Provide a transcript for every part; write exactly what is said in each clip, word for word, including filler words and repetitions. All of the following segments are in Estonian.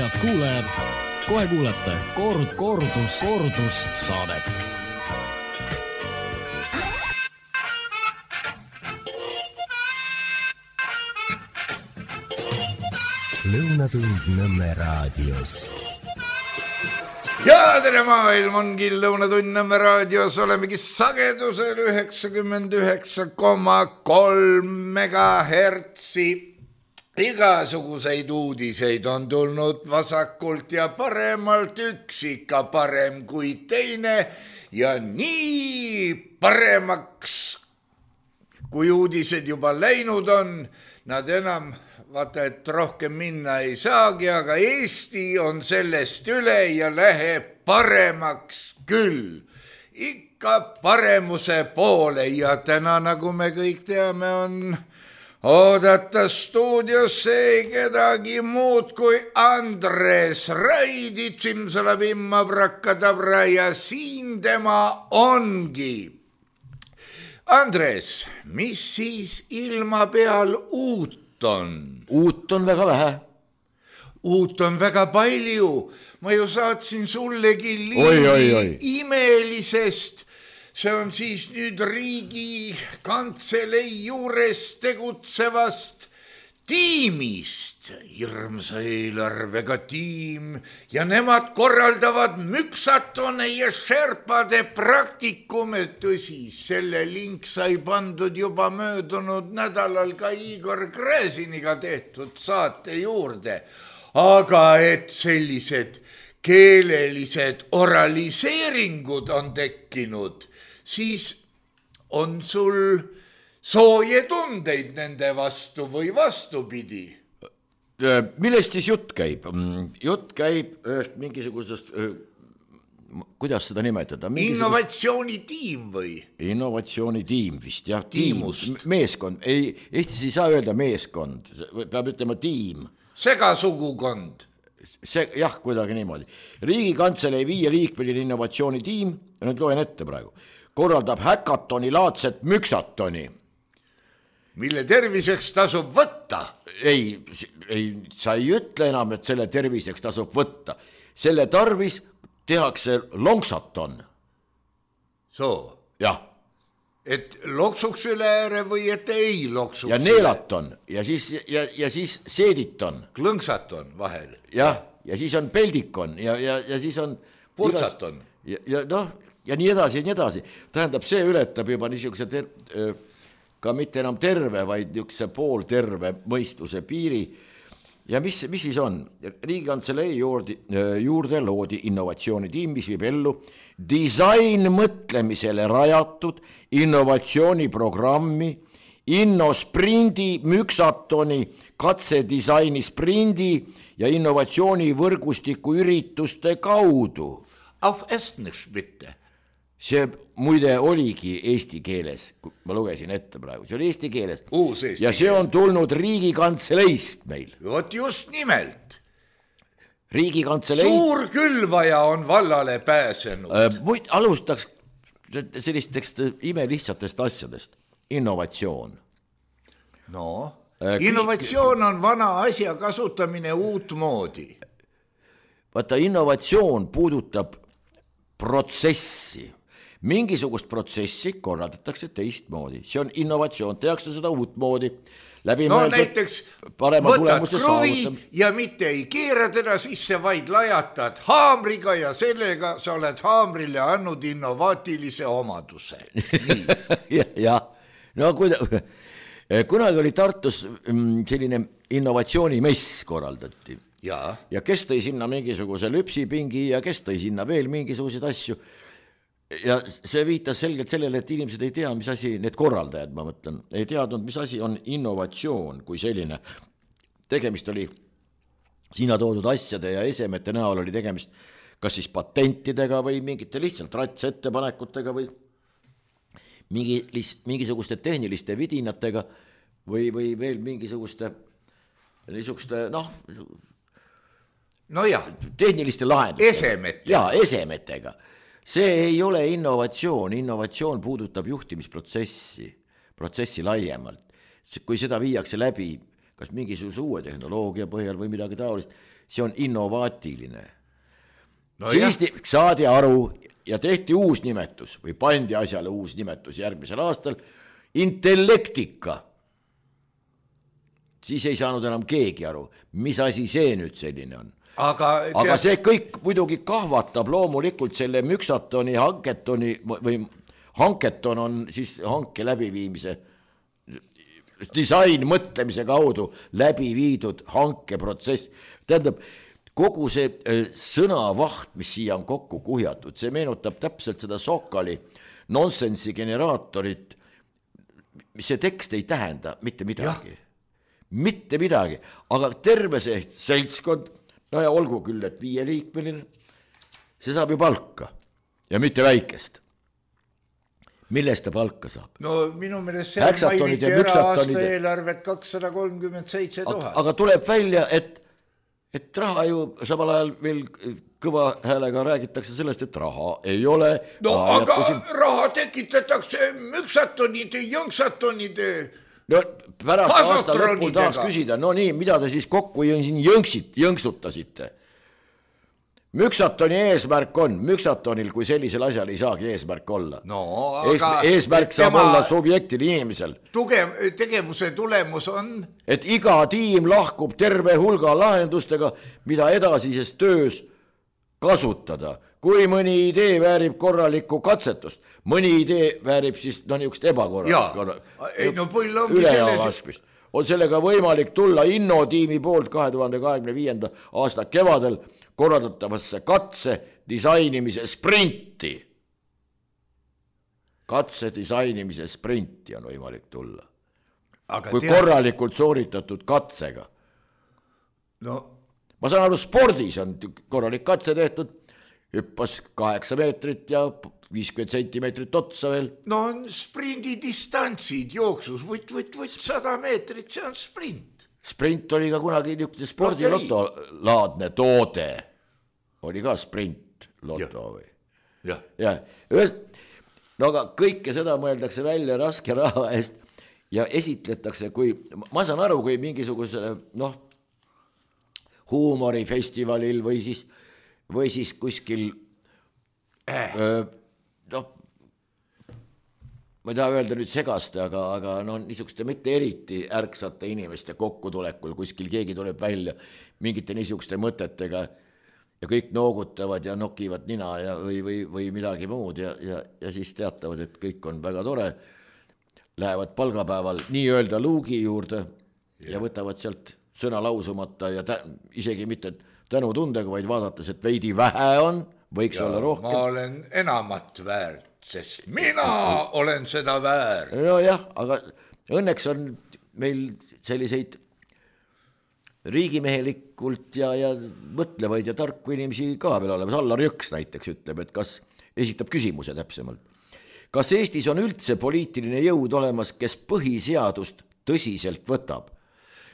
head kuulajad, kohe kuulete Kord, kordus, kordus saadet. Lõunatund Nõmme raadios. Ja tere maailm ongi Lõunatund Nõmme raadios, olemegi sagedusel üheksakümmend üheksa koma kolm megahertsi. Igasuguseid uudiseid on tulnud vasakult ja paremalt, üks ikka parem kui teine ja nii paremaks, kui uudised juba läinud on, nad enam vaata, et rohkem minna ei saagi, aga Eesti on sellest üle ja läheb paremaks küll. Ikka paremuse poole ja täna, nagu me kõik teame, on oodata stuudiosse ei kedagi muud kui Andres Raidi, tsimsalabimma brakadabra ja siin tema ongi. Andres, mis siis ilma peal uut on? Uut on väga vähe. Uut on väga palju. Ma ju saatsin sullegi liini oi, oi, oi. imelisest. See on siis nüüd riigi kantselei juures tegutsevast tiimist. Hirmsa eelarvega tiim ja nemad korraldavad müksatone ja šerpade praktikume. Tõsi, selle link sai pandud juba möödunud nädalal ka Igor Gräziniga tehtud saate juurde. Aga et sellised keelelised oraliseeringud on tekkinud, siis on sul sooje tundeid nende vastu või vastupidi? Millest siis jutt käib? Jutt käib mingisugusest, kuidas seda nimetada? Innovatsioonitiim või? Innovatsioonitiim vist, jah. Tiimust. Meeskond. Ei, Eestis ei saa öelda meeskond, peab ütlema tiim. Segasugukond. See, jah, kuidagi niimoodi. Riigikantselei viie liikmeline innovatsioonitiim, nüüd loen ette praegu, korraldab häkatoni laadset müksatoni. Mille terviseks tasub võtta? Ei, ei, sa ei ütle enam, et selle terviseks tasub võtta. Selle tarvis tehakse lonksaton. Soo? Jah. Et loksuks üle ääre või et ei loksuks ja neelaton ja siis, ja, ja siis seediton. Klõngsaton vahel. Jah, ja siis on peldikon ja, ja, ja siis on purtsaton. Ja, ja, noh, ja nii edasi ja nii edasi. Tähendab, see ületab juba niisuguse ter, ka mitte enam terve, vaid niisuguse poolterve mõistuse piiri. Ja mis, mis siis on? Riigikantselei juurde, juurde loodi innovatsioonitiim, mis viib ellu disain mõtlemisele rajatud innovatsiooniprogrammi, innosprindi, müksatoni, katsedisaini sprindi ja innovatsioonivõrgustiku ürituste kaudu. Auf Estnisch bitte. See muide oligi eesti keeles, ma lugesin ette praegu, see oli eesti keeles. Uus eesti ja see on tulnud Riigikantseleist meil. Vot just nimelt. Riigikantselei... Suur külvaja on vallale pääsenud. Äh, muid, alustaks sellistest imelihtsatest asjadest. Innovatsioon. No, äh, innovatsioon on vana asja kasutamine uut moodi. Vaata, innovatsioon puudutab protsessi. Mingisugust protsessi korraldatakse teistmoodi. See on innovatsioon, tehakse seda uut moodi. No näiteks võtad kruvi ja mitte ei keera teda sisse, vaid lajatad haamriga ja sellega sa oled haamrile andnud innovaatilise omaduse. ja, ja, no kuida, kunagi oli Tartus selline innovatsioonimess korraldati. Ja. ja kes tõi sinna mingisuguse lüpsipingi ja kes tõi sinna veel mingisuguseid asju. Ja see viitas selgelt sellele, et inimesed ei tea, mis asi, need korraldajad, ma mõtlen, ei teadnud, mis asi on innovatsioon kui selline. Tegemist oli sinna toodud asjade ja esemete näol oli tegemist kas siis patentidega või mingite lihtsalt ratsettepanekutega või mingi, mingisuguste tehniliste vidinatega või, või veel mingisuguste niisuguste, noh, no jah, tehniliste lahendustega. Esemetega. Jaa, esemetega. See ei ole innovatsioon, innovatsioon puudutab juhtimisprotsessi, protsessi laiemalt. Kui seda viiakse läbi kas mingisuguse uue tehnoloogia põhjal või midagi taolist, see on innovaatiline no. Siis jah. Saadi aru ja tehti uus nimetus või pandi asjale uus nimetus järgmisel aastal, intellektika. Siis ei saanud enam keegi aru, mis asi see nüüd selline on. Aga, Aga see kõik muidugi kahvatab loomulikult selle müksatoni, hanketoni või hanketon on siis hanke läbiviimise disain mõtlemise kaudu läbi viidud hankeprotsess. Tähendab, kogu see sõnavaht, mis siia on kokku kuhjatud, see meenutab täpselt seda Sokali nonsensi generaatorit, mis see tekst ei tähenda mitte midagi. Ja. Mitte midagi, aga terve see seltskond, no ja olgu küll, et viieliikmeline, see saab ju palka ja mitte väikest. Millest ta palka saab? No minu meelest see mainiti ära aasta eelarvet kakssada kolmkümmend seitse tuhat. Aga tuleb välja, et, et raha ju samal ajal veel kõva häälega räägitakse sellest, et raha ei ole. No aga siin... raha tekitatakse müksatonide, jõngsatonide no pärast aasta lõpul taas küsida, no nii, mida te siis kokku jõngsit, jõngsutasite? Müksatoni eesmärk on, müksatonil kui sellisel asjal ei saagi eesmärk olla. No, aga eesmärk saab olla subjektil inimesel. Tugev, tegevuse tulemus on? Et iga tiim lahkub terve hulga lahendustega, mida edasises töös kasutada. Kui mõni idee väärib korralikku katsetust, mõni idee väärib siis no niisugust ebakorralikku. No selles... on sellega võimalik tulla innotiimi poolt kahe tuhande kahekümne viienda aasta kevadel korraldatavasse katse disainimise sprinti. Katse disainimise sprinti on võimalik tulla. Aga kui tea... korralikult sooritatud katsega. No. Ma saan aru, spordis on korralik katse tehtud, hüppas kaheksa meetrit ja viiskümmend sentimeetrit otsa veel. No on sprindi distantsid jooksus, võt, võt, võt, sada meetrit, see on sprint. Sprint oli ka kunagi niisugune spordilotolaadne toode. Oli ka sprint loto või? Jah. Ja, no aga kõike seda mõeldakse välja raske raha eest ja esitletakse, kui, ma saan aru, kui mingisuguse, noh, huumorifestivalil või siis või siis kuskil äh. öö, noh, ma ei taha öelda nüüd segaste, aga, aga no niisuguste mitte eriti ärksate inimeste kokkutulekul kuskil keegi tuleb välja mingite niisuguste mõtetega ja kõik noogutavad ja nokivad nina ja, või, või, või midagi muud ja, ja, ja siis teatavad, et kõik on väga tore, lähevad palgapäeval nii-öelda luugi juurde ja, ja võtavad sealt sõna lausumata ja tä- isegi mitte tänu tundega, vaid vaadates, et veidi vähe on, võiks ja, olla rohkem. Ma olen enamat väärt, sest mina olen seda väärt. No jah, aga õnneks on meil selliseid riigimehelikult ja, ja mõtlevaid ja tarku inimesi ka veel olemas. Allar Jõks näiteks ütleb, et kas, esitab küsimuse täpsemalt. Kas Eestis on üldse poliitiline jõud olemas, kes põhiseadust tõsiselt võtab?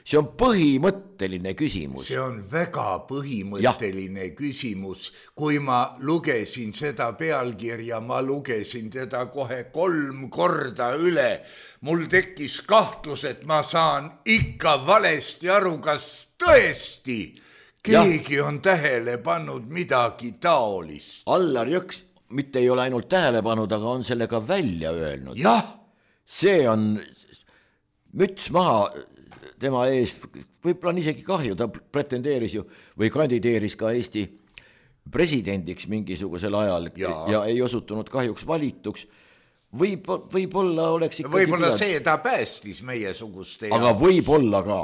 See on põhimõtteline küsimus. See on väga põhimõtteline ja. Küsimus. Kui ma lugesin seda pealkirja, ma lugesin teda kohe kolm korda üle. Mul tekkis kahtlus, et ma saan ikka valesti aru, kas tõesti keegi ja. On tähele pannud midagi taolist. Allar Jõks mitte ei ole ainult tähele pannud, aga on sellega välja öelnud. Jah. See on müts maha tema eest, võib-olla on isegi kahju, ta pretendeeris ju või kandideeris ka Eesti presidendiks mingisugusel ajal ja, ja ei osutunud kahjuks valituks. Võib, võib-olla oleks ikkagi võib-olla pidanud... see ta päästis meie suguste aga jaoks. Võib-olla ka.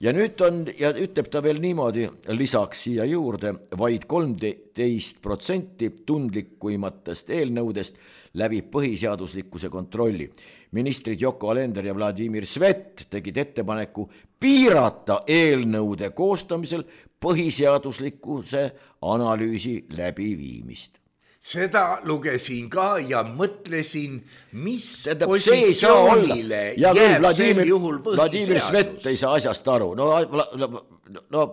Ja nüüd on, ja ütleb ta veel niimoodi, lisaks siia juurde, vaid kolmteist protsenti tundlikuimatest eelnõudest läbib põhiseaduslikkuse kontrolli. Ministrid Yoko Alender ja Vladimir Svet tegid ettepaneku piirata eelnõude koostamisel põhiseaduslikkuse analüüsi läbiviimist. Seda lugesin ka ja mõtlesin, mis Tähendab, positsioonile ja jääb Vladimir, sel juhul põhiseadus. Vladimir Svet ei saa asjast aru. No, no, no,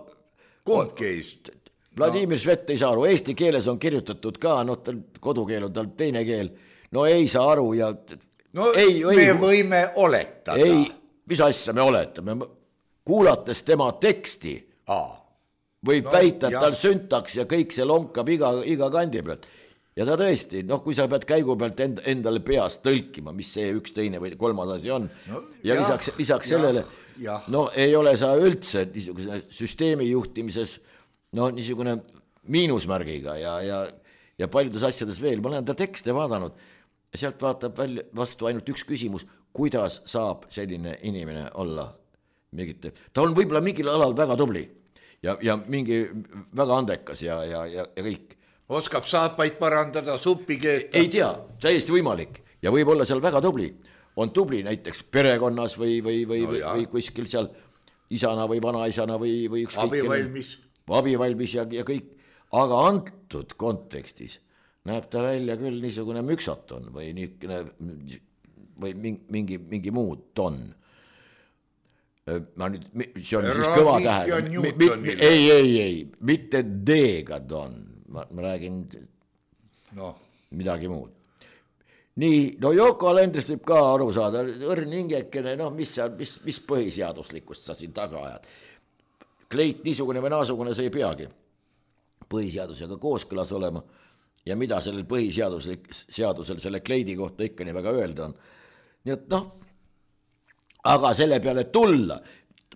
kumb keist? Vladimir no. Svet ei saa aru. Eesti keeles on kirjutatud ka, no kodukeel on tal teine keel. No ei saa aru ja... No ei, me ei, võime oletada. Ei, mis asja me oletame? kuulates tema teksti Aa. võib No, väita, et jah. tal süntaks ja kõik see lonkab iga, iga kandi pealt. Ja ta tõesti, noh, kui sa pead käigu pealt end, endale peas tõlkima, mis see üks teine või kolmas asi on, No, ja jah, lisaks, lisaks jah, sellele, jah. no ei ole sa üldse niisugune süsteemi juhtimises, no niisugune miinusmärgiga ja, ja, ja paljudes asjades veel, ma olen ta tekste vaadanud ja sealt vaatab välja vastu ainult üks küsimus, kuidas saab selline inimene olla mingite, ta on võib-olla mingil alal väga tubli ja, ja mingi väga andekas ja, ja, ja, ja kõik. Oskab saapaid parandada, suppi keeta. Ei tea, täiesti võimalik ja võib olla seal väga tubli. On tubli näiteks perekonnas või, või, või, no, või kuskil seal isana või vanaisana või, või ükskõik. Abivalmis. Abivalmis ja, ja kõik. Aga antud kontekstis näeb ta välja küll niisugune müksaton või, niisugune, või mingi, mingi muu ton. Ma nüüd, see on siis kõva tähe. Ei, ei, ei, mitte D-ga ton. Ma, ma räägin no. midagi muud. Nii, no Yoko Alenderist võib ka aru saada, õrn hingekene, noh, mis, mis, mis põhiseaduslikkust sa siin taga ajad. Kleit niisugune või naasugune see ei peagi põhiseadusega kooskõlas olema ja mida sellel põhiseadusel seadusel selle kleidi kohta ikka nii väga öelda on. Nii et noh, aga selle peale tulla,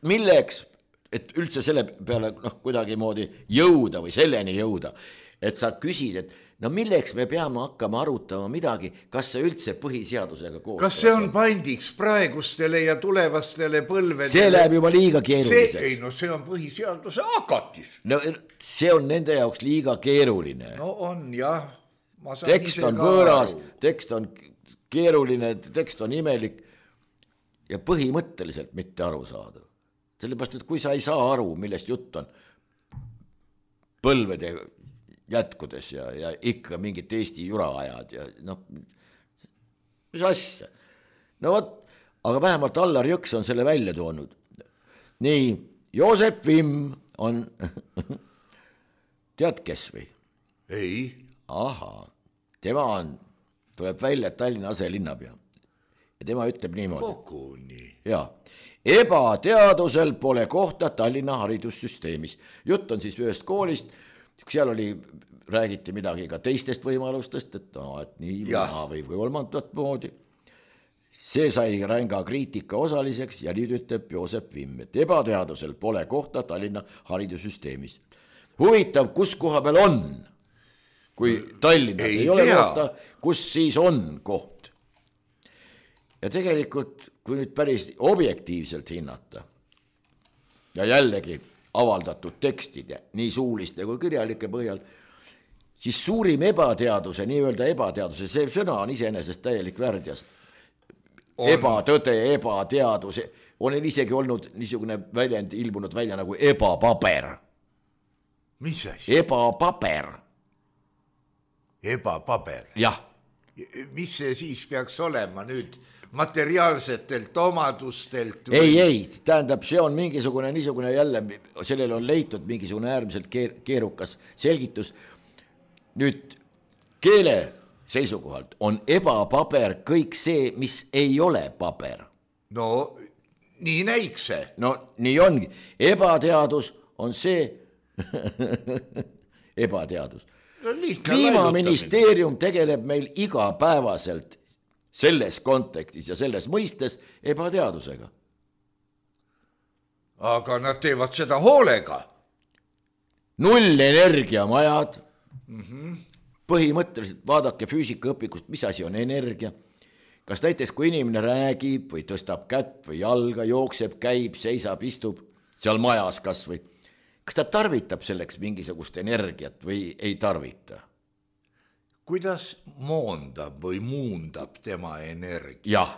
milleks, et üldse selle peale noh, kuidagi moodi jõuda või selleni jõuda, et sa küsid, et no milleks me peame hakkama arutama midagi, kas see üldse põhiseadusega koos. Kas see on pandiks praegustele ja tulevastele põlvedele? See läheb juba liiga keeruliseks. Ei, no see on põhiseaduse hakatis. No see on nende jaoks liiga keeruline. No on, jah. Tekst on võõras, tekst on keeruline, tekst on imelik ja põhimõtteliselt mitte aru saada. Sellepärast, et kui sa ei saa aru, millest jutt on põlvede jätkudes ja, ja ikka mingit Eesti jura ajad ja noh, mis asja. No võt, aga vähemalt Allar Jõks on selle välja toonud. Nii, Joosep Vimm on, tead kes või? Ei. Aha, tema on, tuleb välja Tallinna aselinnapea ja tema ütleb niimoodi. Kokuni. Jaa. Ebateadusel pole kohta Tallinna haridussüsteemis. Jutt on siis ühest koolist, seal oli, räägiti midagi ka teistest võimalustest, et, no, et nii või, või, või kolmandat moodi. See sai ränga kriitika osaliseks ja nüüd ütleb Joosep Vimm, et ebateadusel pole kohta Tallinna haridussüsteemis. Huvitav, kus koha peal on, kui Tallinnas ei, ei ole kohta, kus siis on koht. Ja tegelikult, kui nüüd päris objektiivselt hinnata ja jällegi avaldatud tekstide, nii suuliste kui kirjalike põhjal, siis suurim ebateaduse, nii-öelda ebateaduse, see sõna on iseenesest täielik värdjas. On. Ebatõde, ebateadus, on isegi olnud niisugune väljend ilmunud välja nagu ebapaber. Mis asi? Ebapaber. Ebapaber? Jah. Mis see siis peaks olema nüüd materiaalsetelt omadustelt? Või? Ei, ei, tähendab, see on mingisugune niisugune jälle, sellel on leitud mingisugune äärmiselt keerukas selgitus. Nüüd keele seisukohalt on ebapaber kõik see, mis ei ole paber. No, nii näiks see. No, nii ongi. Ebateadus on see ebateadus. No, Kliimaministeerium tegeleb meil igapäevaselt selles kontekstis ja selles mõistes ebateadusega. Aga nad teevad seda hoolega. Null energiamajad. Mm-hmm. Põhimõtteliselt vaadake füüsikaõpikust, mis asi on energia. Kas näiteks, kui inimene räägib või tõstab kätt või jalga, jookseb, käib, seisab, istub seal majas kas või. Kas ta tarvitab selleks mingisugust energiat või ei tarvita? Kuidas moondab või muundab tema energiat? Jah,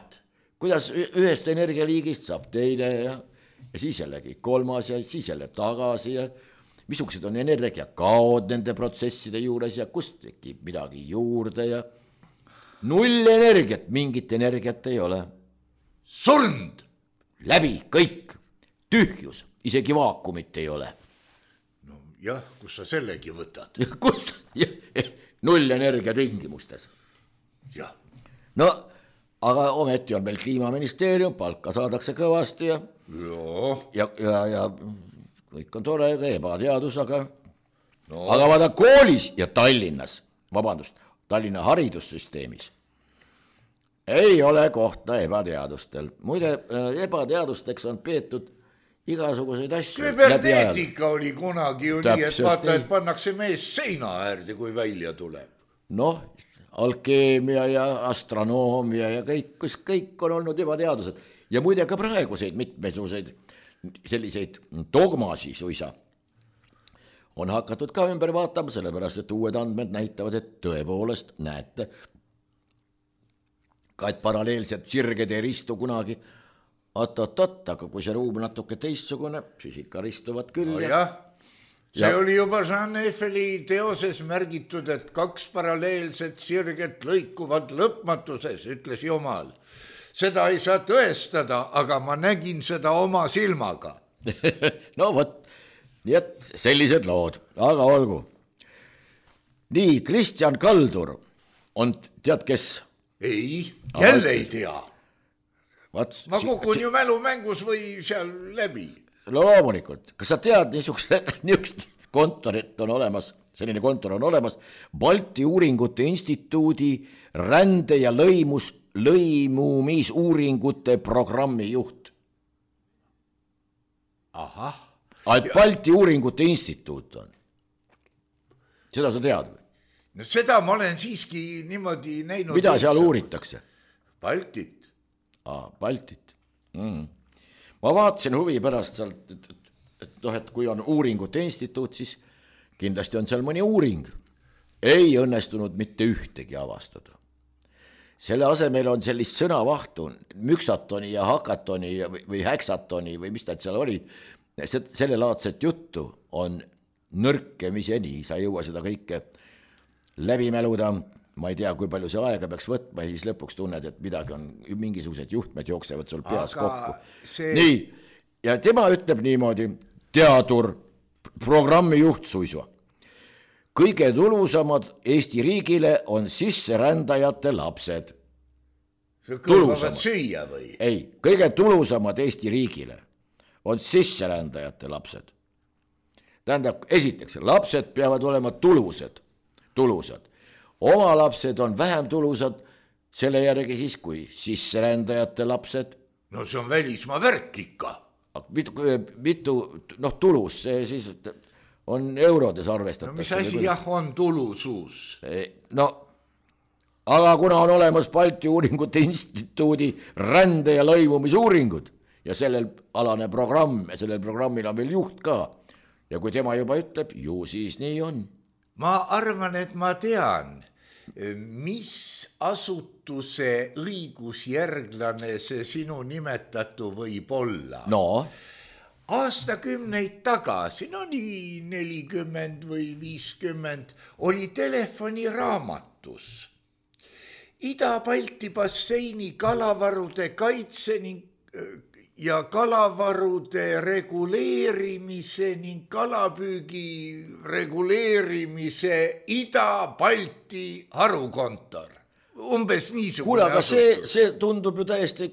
kuidas ühest energialiigist saab teine ja, ja siis jällegi kolmas ja siis jälle tagasi ja missugused on energiakaod nende protsesside juures ja kust tekib midagi juurde ja null energiat, mingit energiat ei ole. Surnd! Läbi, kõik, tühjus, isegi vaakumit ei ole. No jah, kus sa sellegi võtad? Kus? Null energia tingimustes. Jah. No aga ometi on meil kliimaministeerium, palka saadakse kõvasti ja ja, ja, ja kõik on tore, ebateadus, aga no. Aga vaada koolis ja Tallinnas, vabandust, Tallinna haridussüsteemis ei ole kohta ebateadustel. Muide, ebateadusteks on peetud igasuguseid asju. Küberneetika oli kunagi ju nii, et vaata, et pannakse mees seina äärde, kui välja tuleb. Noh, alkeemia ja astronoomia ja kõik, kus kõik on olnud ebateadused. Ja muide ka praeguseid mitmesuguseid selliseid dogmasi suisa on hakatud ka ümber vaatama, sellepärast, et uued andmed näitavad, et tõepoolest näete, ka et paralleelselt sirged ei ristu kunagi, oot-oot-oot, aga kui see ruum natuke teistsugune, siis ikka ristuvad küll. No jah, see ja. Oli juba Jean Eiffeli teoses märgitud, et kaks paralleelset sirget lõikuvad lõpmatuses, ütles Jumal. Seda ei saa tõestada, aga ma nägin seda oma silmaga. No vot, nii et sellised lood, aga olgu. Nii, Kristjan Kaldur on, tead kes? Ei, jälle ei tea. Vaat, ma kukun si ju mälumängus või seal läbi. No loomulikult, kas sa tead niisugust, niisugust kontorit on olemas, selline kontor on olemas, Balti Uuringute Instituudi rände ja lõimus, lõimumisuuringute programmi juht. Ahah. Et Balti Uuringute Instituut on. Seda sa tead või? No seda ma olen siiski niimoodi näinud. Mida seal uuritakse? Baltit. Aa, Baltit. Mm. Ma vaatasin huvi pärast sealt, et, et, et, noh, et kui on uuringute instituut, siis kindlasti on seal mõni uuring. Ei õnnestunud mitte ühtegi avastada. Selle asemel on sellist sõnavahtu, müksatoni ja hakatoni või häksatoni või mis nad seal olid, selle laadset juttu on nõrkemiseni, sa ei jõua seda kõike läbi mäluda, ma ei tea, kui palju see aega peaks võtma ja siis lõpuks tunned, et midagi on, mingisugused juhtmed jooksevad sul peas aga kokku. See... Nii, ja tema ütleb niimoodi, teadur, programmi juht suisu. Kõige tulusamad Eesti riigile on sisserändajate lapsed. See kõlbavad süüa või? Ei, kõige tulusamad Eesti riigile on sisserändajate lapsed. Tähendab, esiteks, lapsed peavad olema tulused. tulusad. Oma lapsed on vähem tulusad, selle järgi siis kui sisserändajate lapsed. No see on välismaa värk ikka. Mitu, mitu noh, tulus, see siis on eurodes arvestatud. No mis asi jah on tulusus? No, aga kuna on olemas Balti Uuringute Instituudi rände- ja lõimumisuuringud ja sellel alane programm ja sellel programmil on veel juht ka ja kui tema juba ütleb, ju siis nii on. Ma arvan, et ma tean, mis asutuse õigusjärglane see sinu nimetatu võib olla. No? Aastakümneid tagasi, no nii nelikümmend või viiskümmend, oli telefoniraamatus Ida-Balti basseini kalavarude kaitse ning ja kalavarude reguleerimise ning kalapüügi reguleerimise Ida-Balti harukontor. Umbes niisugune. Kuule, aga see, see tundub ju täiesti,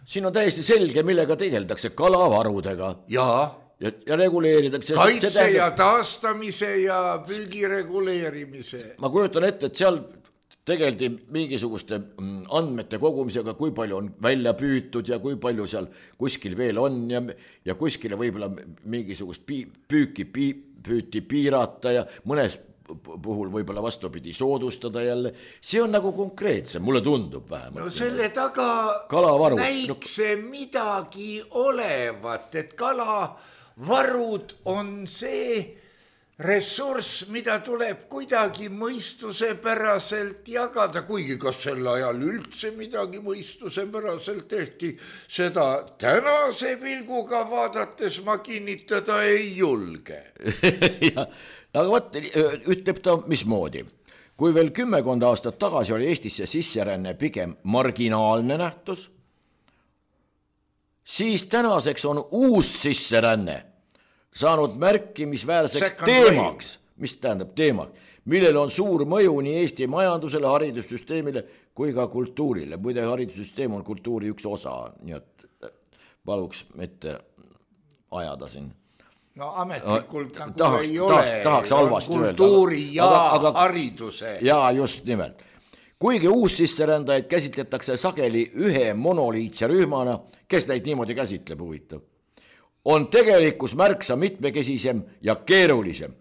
siin on täiesti selge, millega tegeldakse kalavarudega. Jaa. Ja, ja reguleeritakse. Kaitse tähendab... ja taastamise ja püügi reguleerimise. Ma kujutan ette, et seal tegeldi mingisuguste andmete kogumisega, kui palju on välja püütud ja kui palju seal kuskil veel on ja, ja kuskile võib-olla mingisugust püüki püüti piirata ja mõnes puhul võib-olla vastupidi soodustada jälle. See on nagu konkreetsem, mulle tundub vähemalt. No selle taga kalavaru. Näiks see midagi olevat, et kalavarud on see ressurss, mida tuleb kuidagi mõistusepäraselt jagada, kuigi kas sel ajal üldse midagi mõistusepäraselt tehti, seda tänase pilguga vaadates ma kinnitada ei julge. Ja, aga võt, ütleb ta mismoodi. Kui veel kümmekond aastat tagasi oli Eestisse sisseränne pigem marginaalne nähtus, siis tänaseks on uus sisseränne saanud märkimisväärseks teemaks, mis tähendab teemaks, millel on suur mõju nii Eesti majandusele, haridussüsteemile kui ka kultuurile. Muide, haridussüsteem on kultuuri üks osa, nii et paluks mitte ajada siin. No ametlikult nagu tahaks, ei tahaks, ole tahaks halvasti kultuuri öelda, ja aga, aga, hariduse. Jaa, just nimelt. Kuigi uus sisserändajaid käsitletakse sageli ühe monoliitse rühmana, kes neid niimoodi käsitleb, huvitav, on tegelikkus märksa mitmekesisem ja keerulisem.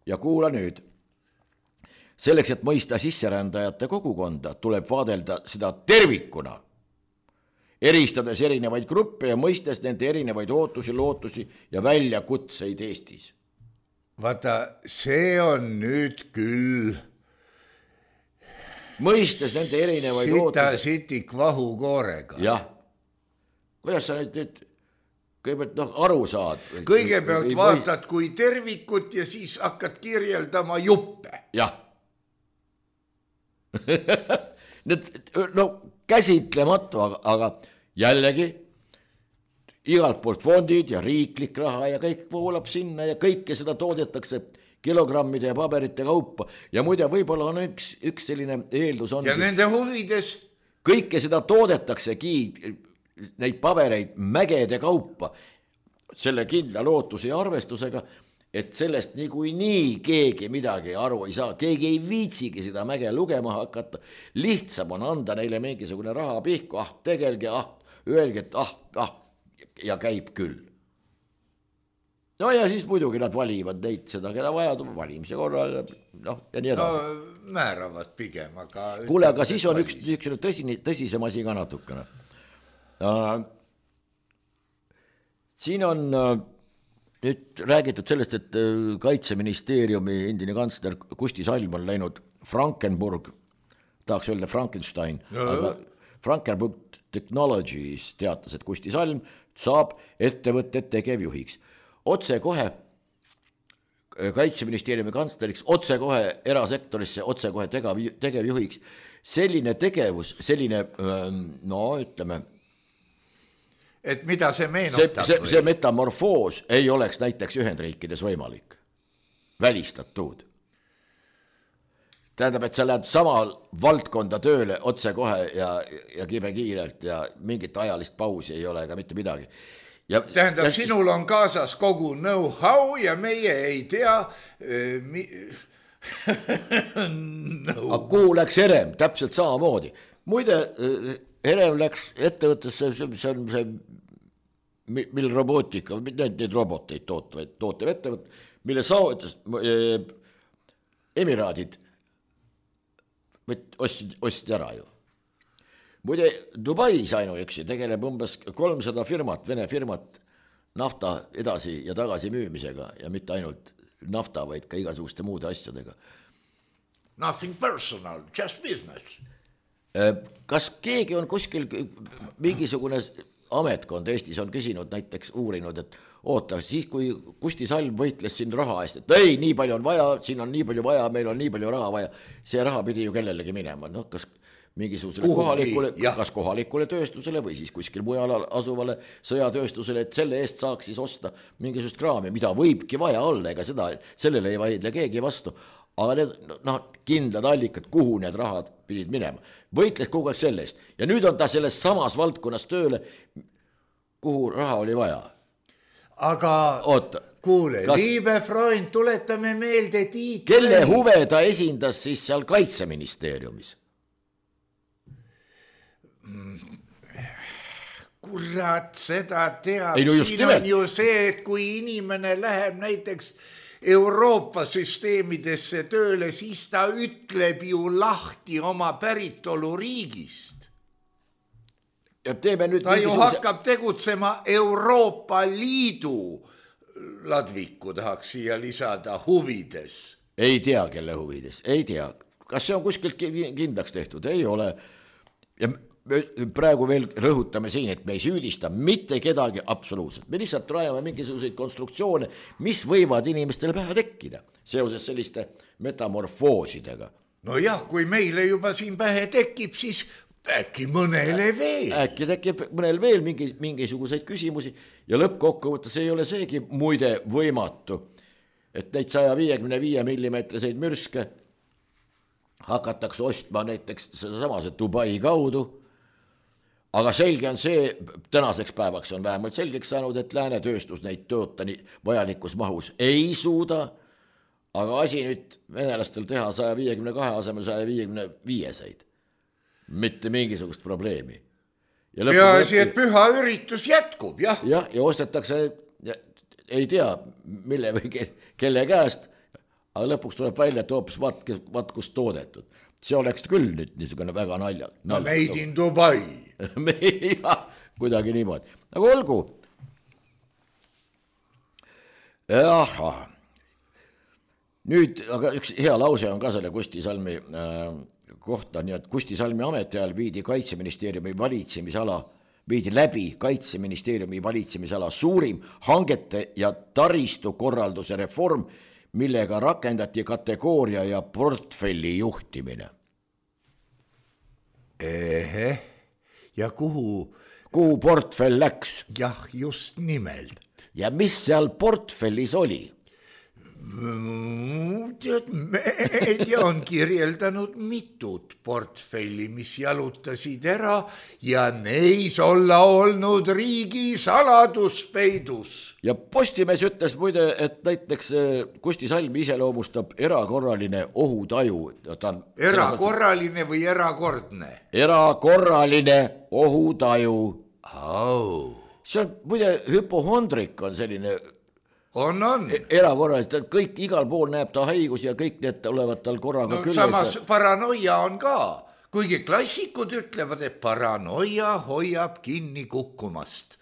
Ja kuula nüüd. Selleks, et mõista sisserändajate kogukonda, tuleb vaadelda seda tervikuna, eristades erinevaid gruppe ja mõistes nende erinevaid ootusi, lootusi ja väljakutseid Eestis. Vaata, see on nüüd küll mõistes nende erinevaid sita ootusi. sitik vahukoorega. Jah. Kuidas sa nüüd, nüüd kõigepealt noh, aru saad? Kõigepealt või, vaatad kui tervikut ja siis hakkad kirjeldama juppe. Jah. Need, no käsitlematu, aga, aga jällegi igalt poolt fondid ja riiklik raha ja kõik voolab sinna ja kõike seda toodetakse kilogrammide ja paberite kaupa. Ja muide, võib-olla on üks, üks selline eeldus on. Ja nende huvides? Kõike seda toodetaksegi, neid pabereid mägede kaupa, selle kindla lootuse ja arvestusega, et sellest niikuinii nii keegi midagi aru ei saa. Keegi ei viitsigi seda mäge lugema hakata. Lihtsam on anda neile mingisugune raha pihku, ah, tegelge, ah, öelge, et ah, ah, ja käib küll. No ja siis muidugi nad valivad neid seda, keda vaja valimise korral, noh, ja nii edasi. No määravad pigem, aga... Kuule, aga siis on üks, üks tõsine, tõsisem asi ka natukene. Uh, siin on uh, nüüd räägitud sellest, et uh, Kaitseministeeriumi endine kantsler Kusti Salm on läinud Frankenburg, tahaks öelda Frankenstein, no. Aga Frankenburg Technologies teatas, et Kusti Salm saab ettevõtted tegevjuhiks. Otse kohe Kaitseministeeriumi kantsleriks, otse kohe erasektorisse, otse kohe tegevjuhiks. Selline tegevus, selline, no ütleme, et mida see meenutab? See, see, see metamorfoos ei oleks näiteks Ühendriikides võimalik. Välistatud. Tähendab, et sa lähed sama valdkonda tööle otse kohe ja, ja kibe kiirelt ja mingit ajalist pausi ei ole ega mitte midagi. Ja, tähendab, ja, sinul on kaasas kogu know-how ja meie ei tea mi... no. Aga kuhu läks Herem? Täpselt samamoodi. Muide, Herem läks ettevõttesse, see on see, mil robootika, need, need roboteid tootev, tootev ettevõtt, mille saavutas Emiraadid ostsid, ostsid ära ju. Muide, Dubais ainuüksi tegeleb umbes kolmsada firmat, Vene firmat nafta edasi ja tagasi müümisega ja mitte ainult nafta, vaid ka igasuguste muude asjadega. Nothing personal, just business. Kas keegi on kuskil mingisugune ametkond Eestis on küsinud, näiteks uurinud, et oota, siis kui Kusti Salm võitles siin raha eest, et ei, nii palju on vaja, siin on nii palju vaja, meil on nii palju raha vaja, see raha pidi ju kellelegi minema, noh, kas mingisugusele kohalikule, kas kohalikule tööstusele või siis kuskil mujal asuvale sõjatööstusele, et selle eest saaks siis osta mingisugust kraami, mida võibki vaja olla, ega seda, sellele ei vaidle keegi vastu, aga need no, kindlad allikad, kuhu need rahad pidid minema. Võitles kogu aeg selle eest ja nüüd on ta selles samas valdkonnas tööle, kuhu raha oli vaja. Aga oota, kuule, kas... Liibe Freund, tuletame meelde Tiit. Kelle huve ta esindas siis seal Kaitseministeeriumis? Kurat, seda teab. Ei, no siin on ju see, et kui inimene läheb näiteks Euroopa süsteemidesse tööle, siis ta ütleb ju lahti oma päritolu riigist. Ja teeme nüüd ta ju mingisuguse... hakkab tegutsema Euroopa Liidu ladviku, tahaks siia lisada, huvides. Ei tea, kelle huvides, ei tea. Kas see on kuskilt kindlaks tehtud? Ei ole. Ja praegu veel rõhutame siin, et me ei süüdista mitte kedagi absoluutselt. Me lihtsalt rajame mingisuguseid konstruktsioone, mis võivad inimestele pähe tekkida seoses selliste metamorfoosidega. No jah, kui meile juba siin pähe tekib, siis äkki mõnele veel. Äkki tekib mõnel veel mingi, mingisuguseid küsimusi ja lõppkokkuvõttes ei ole seegi muide võimatu, et neid saja viiekümne viie millimeetriseid mürske hakatakse ostma näiteks sedasama see Dubai kaudu, aga selge on see, tänaseks päevaks on vähemalt selgeks saanud, et lääne tööstus neid toota nii vajalikus mahus ei suuda, aga asi nüüd venelastel teha saja viiekümne kahe asemel saja viiekümne viieseid. Mitte mingisugust probleemi. Ja, ja asi, et püha üritus jätkub, jah. Jah, ja ostetakse, ja, ei tea, mille või kelle käest, aga lõpuks tuleb välja, et hoopis vaat, vaat kus toodetud. See oleks küll nüüd niisugune väga nalja. No made in Dubai. jah, kuidagi niimoodi. Aga olgu. Jaha. Nüüd, aga üks hea lause on ka selle Kusti Salmi äh, kohta, nii et Kusti Salmi ametiajal viidi Kaitseministeeriumi valitsemisala, viidi läbi Kaitseministeeriumi valitsemisala suurim hangete ja taristu korralduse reform, millega rakendati kategooria ja portfelli juhtimine. Ehe, ja kuhu? Kuhu portfell läks? Jah, just nimelt. Ja mis seal portfellis oli? Tead, meedia on kirjeldanud mitut portfelli, mis jalutasid ära ja neis olla olnud riigi saladuspeidus. Ja Postimees ütles muide, et näiteks Kusti Salm iseloomustab erakorraline ohutaju. On erakorraline või erakordne? Erakorraline ohutaju. Oh. See on muide hüpohondrik on selline On, on. Erakorraliselt, et kõik igal pool näeb ta haigus ja kõik need olevat tal korraga no, külles. Samas paranoia on ka, kuigi klassikud ütlevad, et paranoia hoiab kinni kukkumast.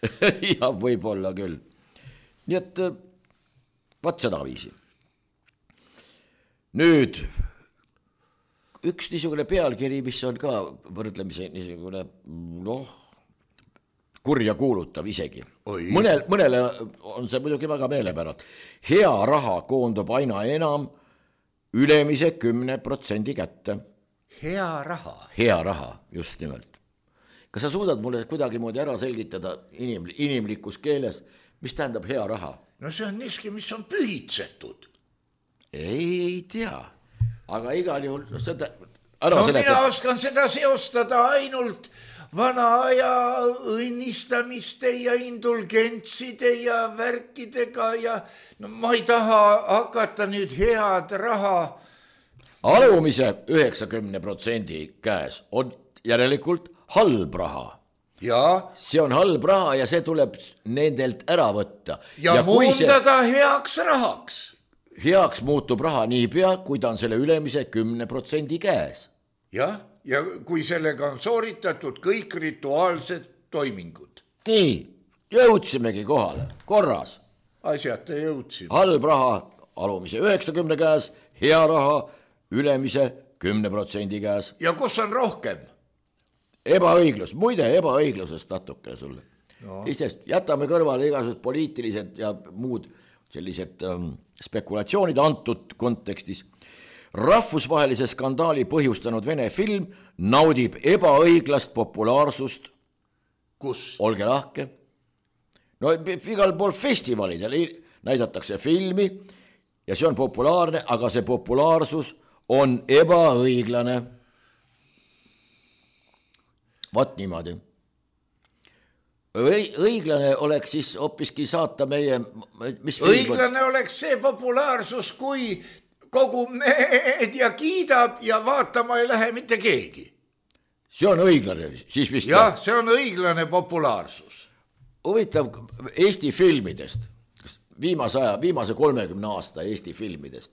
ja võib-olla küll. Nii et vaat seda viisi. Nüüd, üks niisugune pealkiri, mis on ka võrdlemise niisugune, noh, kurja kuulutav isegi. Mõnel, mõnele on see muidugi väga meelepärad. Hea raha koondub aina enam ülemise kümne protsendi kätte. Hea raha? Hea raha, just nimelt. Kas sa suudad mulle kuidagi moodi ära selgitada inim, inimlikus keeles, mis tähendab hea raha? No see on niiski, mis on pühitsetud. Ei tea, aga igal juhul seda ära no seletab. Mina oskan seda seostada ainult vana aja õnnistamiste ja indulgentside ja värkidega ja no, ma ei taha hakata nüüd head raha. Alumise üheksakümne protsendi käes on järelikult halb raha. Ja. See on halb raha ja see tuleb nendelt ära võtta. Ja, ja muundada see heaks rahaks. Heaks muutub raha niipea, kui ta on selle ülemise kümne protsendi käes. Jah. Ja kui sellega on sooritatud kõik rituaalsed toimingud. Nii, jõudsimegi kohale, korras. Asjata jõudsime. Halb raha alumise üheksakümne käes, hea raha ülemise kümne protsendi käes. Ja kus on rohkem? Ebaõiglus, muide ebaõiglusest natuke sulle. No. Isest, jätame kõrvale igasugused poliitilised ja muud sellised ähm, spekulatsioonid antud kontekstis. Rahvusvahelise skandaali põhjustanud Vene film naudib ebaõiglast populaarsust. Kus? Olge lahke. No igal pool festivalidel näidatakse filmi ja see on populaarne, aga see populaarsus on ebaõiglane. Vaat niimoodi. Õiglane oleks siis hoopiski saata meie... Mis õiglane film... oleks see populaarsus, kui kogu meedia kiidab ja vaatama ei lähe mitte keegi. See on õiglane, siis vist... Jah, see on õiglane populaarsus. Huvitav Eesti filmidest, viimase, aja, viimase kolmekümne aasta Eesti filmidest,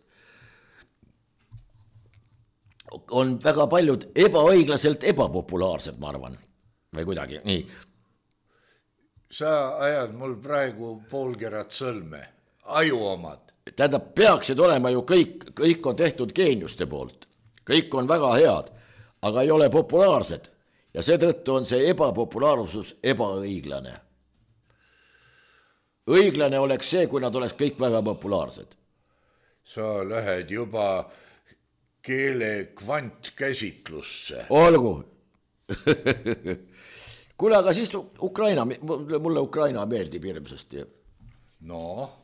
on väga paljud ebaõiglaselt ebapopulaarsed, ma arvan. Või kuidagi, nii. Sa ajad mul praegu poolkerat sõlme, aju omad. Tähendab, peaksid olema ju kõik, kõik on tehtud geeniuste poolt. Kõik on väga head, aga ei ole populaarsed. Ja seetõttu on see ebapopulaarsus ebaõiglane. Õiglane oleks see, kui nad oleks kõik väga populaarsed. Sa lähed juba keele kvantkäsitlusse. Olgu. Kuule, aga siis Ukraina, mulle Ukraina meeldib hirmsasti. No.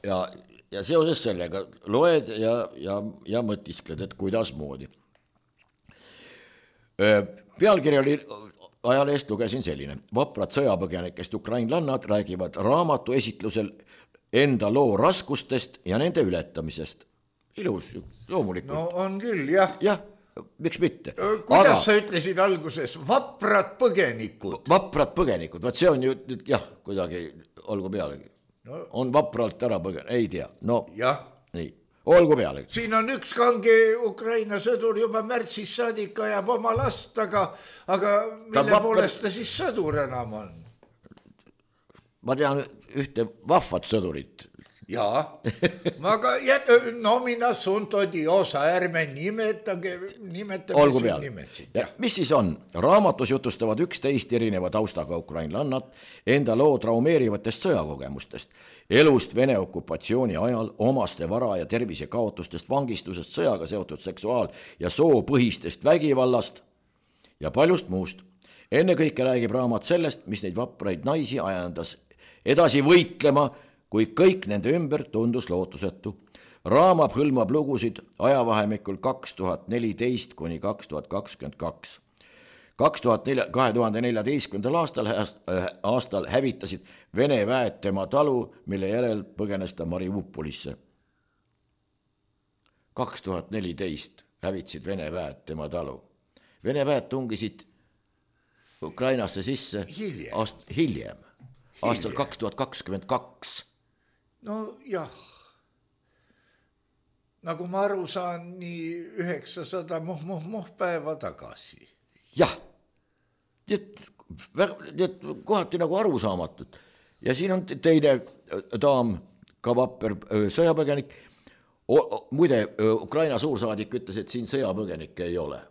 Ja, ja seoses sellega loed ja, ja, ja mõtiskled, et kuidas moodi. Pealkiri oli, ajalehest lugesin selline: vaprad sõjapõgenikest ukrainlannad räägivad raamatu esitlusel enda loo raskustest ja nende ületamisest. Ilus, loomulikult. No on küll, jah. Jah, miks mitte. Kuidas Aga... sa ütlesid alguses? Vaprad põgenikud. Vaprad põgenikud, vaat see on ju, jah, kuidagi olgu pealegi. No. On vapralt ära põgen, ei tea. No, jah. Nii, olgu pealegi. Siin on üks kange Ukraina sõdur juba märtsis saadik ajab oma last, aga, aga mille vapra... poolest ta siis sõdur enam on? Ma tean ühte vahvat sõdurit. Jaa, aga jät, no mina sunto diosa, ärme nimetage, nimetage olgu peale. Ja, mis siis on? Raamatus jutustavad üksteist erineva taustaga ukrainlannad enda loo traumeerivatest sõjakogemustest, elust Vene okupatsiooni ajal, omaste vara ja tervise kaotustest, vangistusest, sõjaga seotud seksuaal- ja soopõhistest vägivallast ja paljust muust. Enne kõike räägib raamat sellest, mis neid vapraid naisi ajandas edasi võitlema, kui kõik nende ümber tundus lootusetu. Raamat hõlmab lugusid ajavahemikul kaks tuhat neliteist kuni kaks tuhat kakskümmend kaks. kahe tuhande neljateistkümnendal aastal, aastal hävitasid Vene väed tema talu, mille järel põgenes ta Mariupolisse. kaks tuhat neliteist hävitasid Vene väed tema talu. Vene väed tungisid Ukrainasse sisse hiljem, aast, hiljem, aastal kaks tuhat kakskümmend kaks. No jah, nagu ma aru saan, nii üheksasada muh-muh-muh päeva tagasi. Jah, need kohati nagu arusaamatud. Ja siin on teine daam, ka vapper sõjapõgenik. O, o, muide, Ukraina suursaadik ütles, et siin sõjapõgenikke ei ole.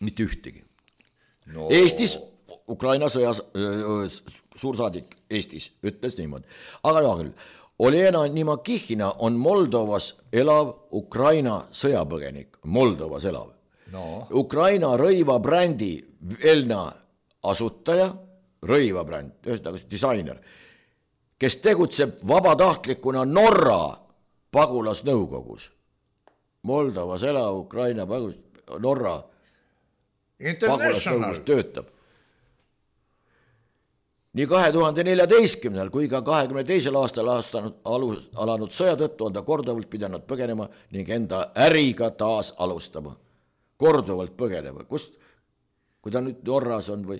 Mitte ühtegi. No. Eestis Ukraina sõjas, suursaadik Eestis ütles niimoodi. Aga no küll, Olena Nimakihina on Moldovas elav Ukraina sõjapõgenik. Moldovas elav. No. Ukraina rõivabrändi Velna asutaja, rõivabränd, ühesõnaga disainer, kes tegutseb vabatahtlikuna Norra pagulasnõukogus. Moldovas elav Ukraina pagulas, Norra pagulasnõukogus töötab. Nii kahe tuhande neljateistkümnendal kui ka kahekümne teisel aastal aastanud, alus, alanud sõja tõttu on ta korduvalt pidanud põgenema ning enda äriga taas alustama. Korduvalt põgenema. Kust, kui ta nüüd Norras on või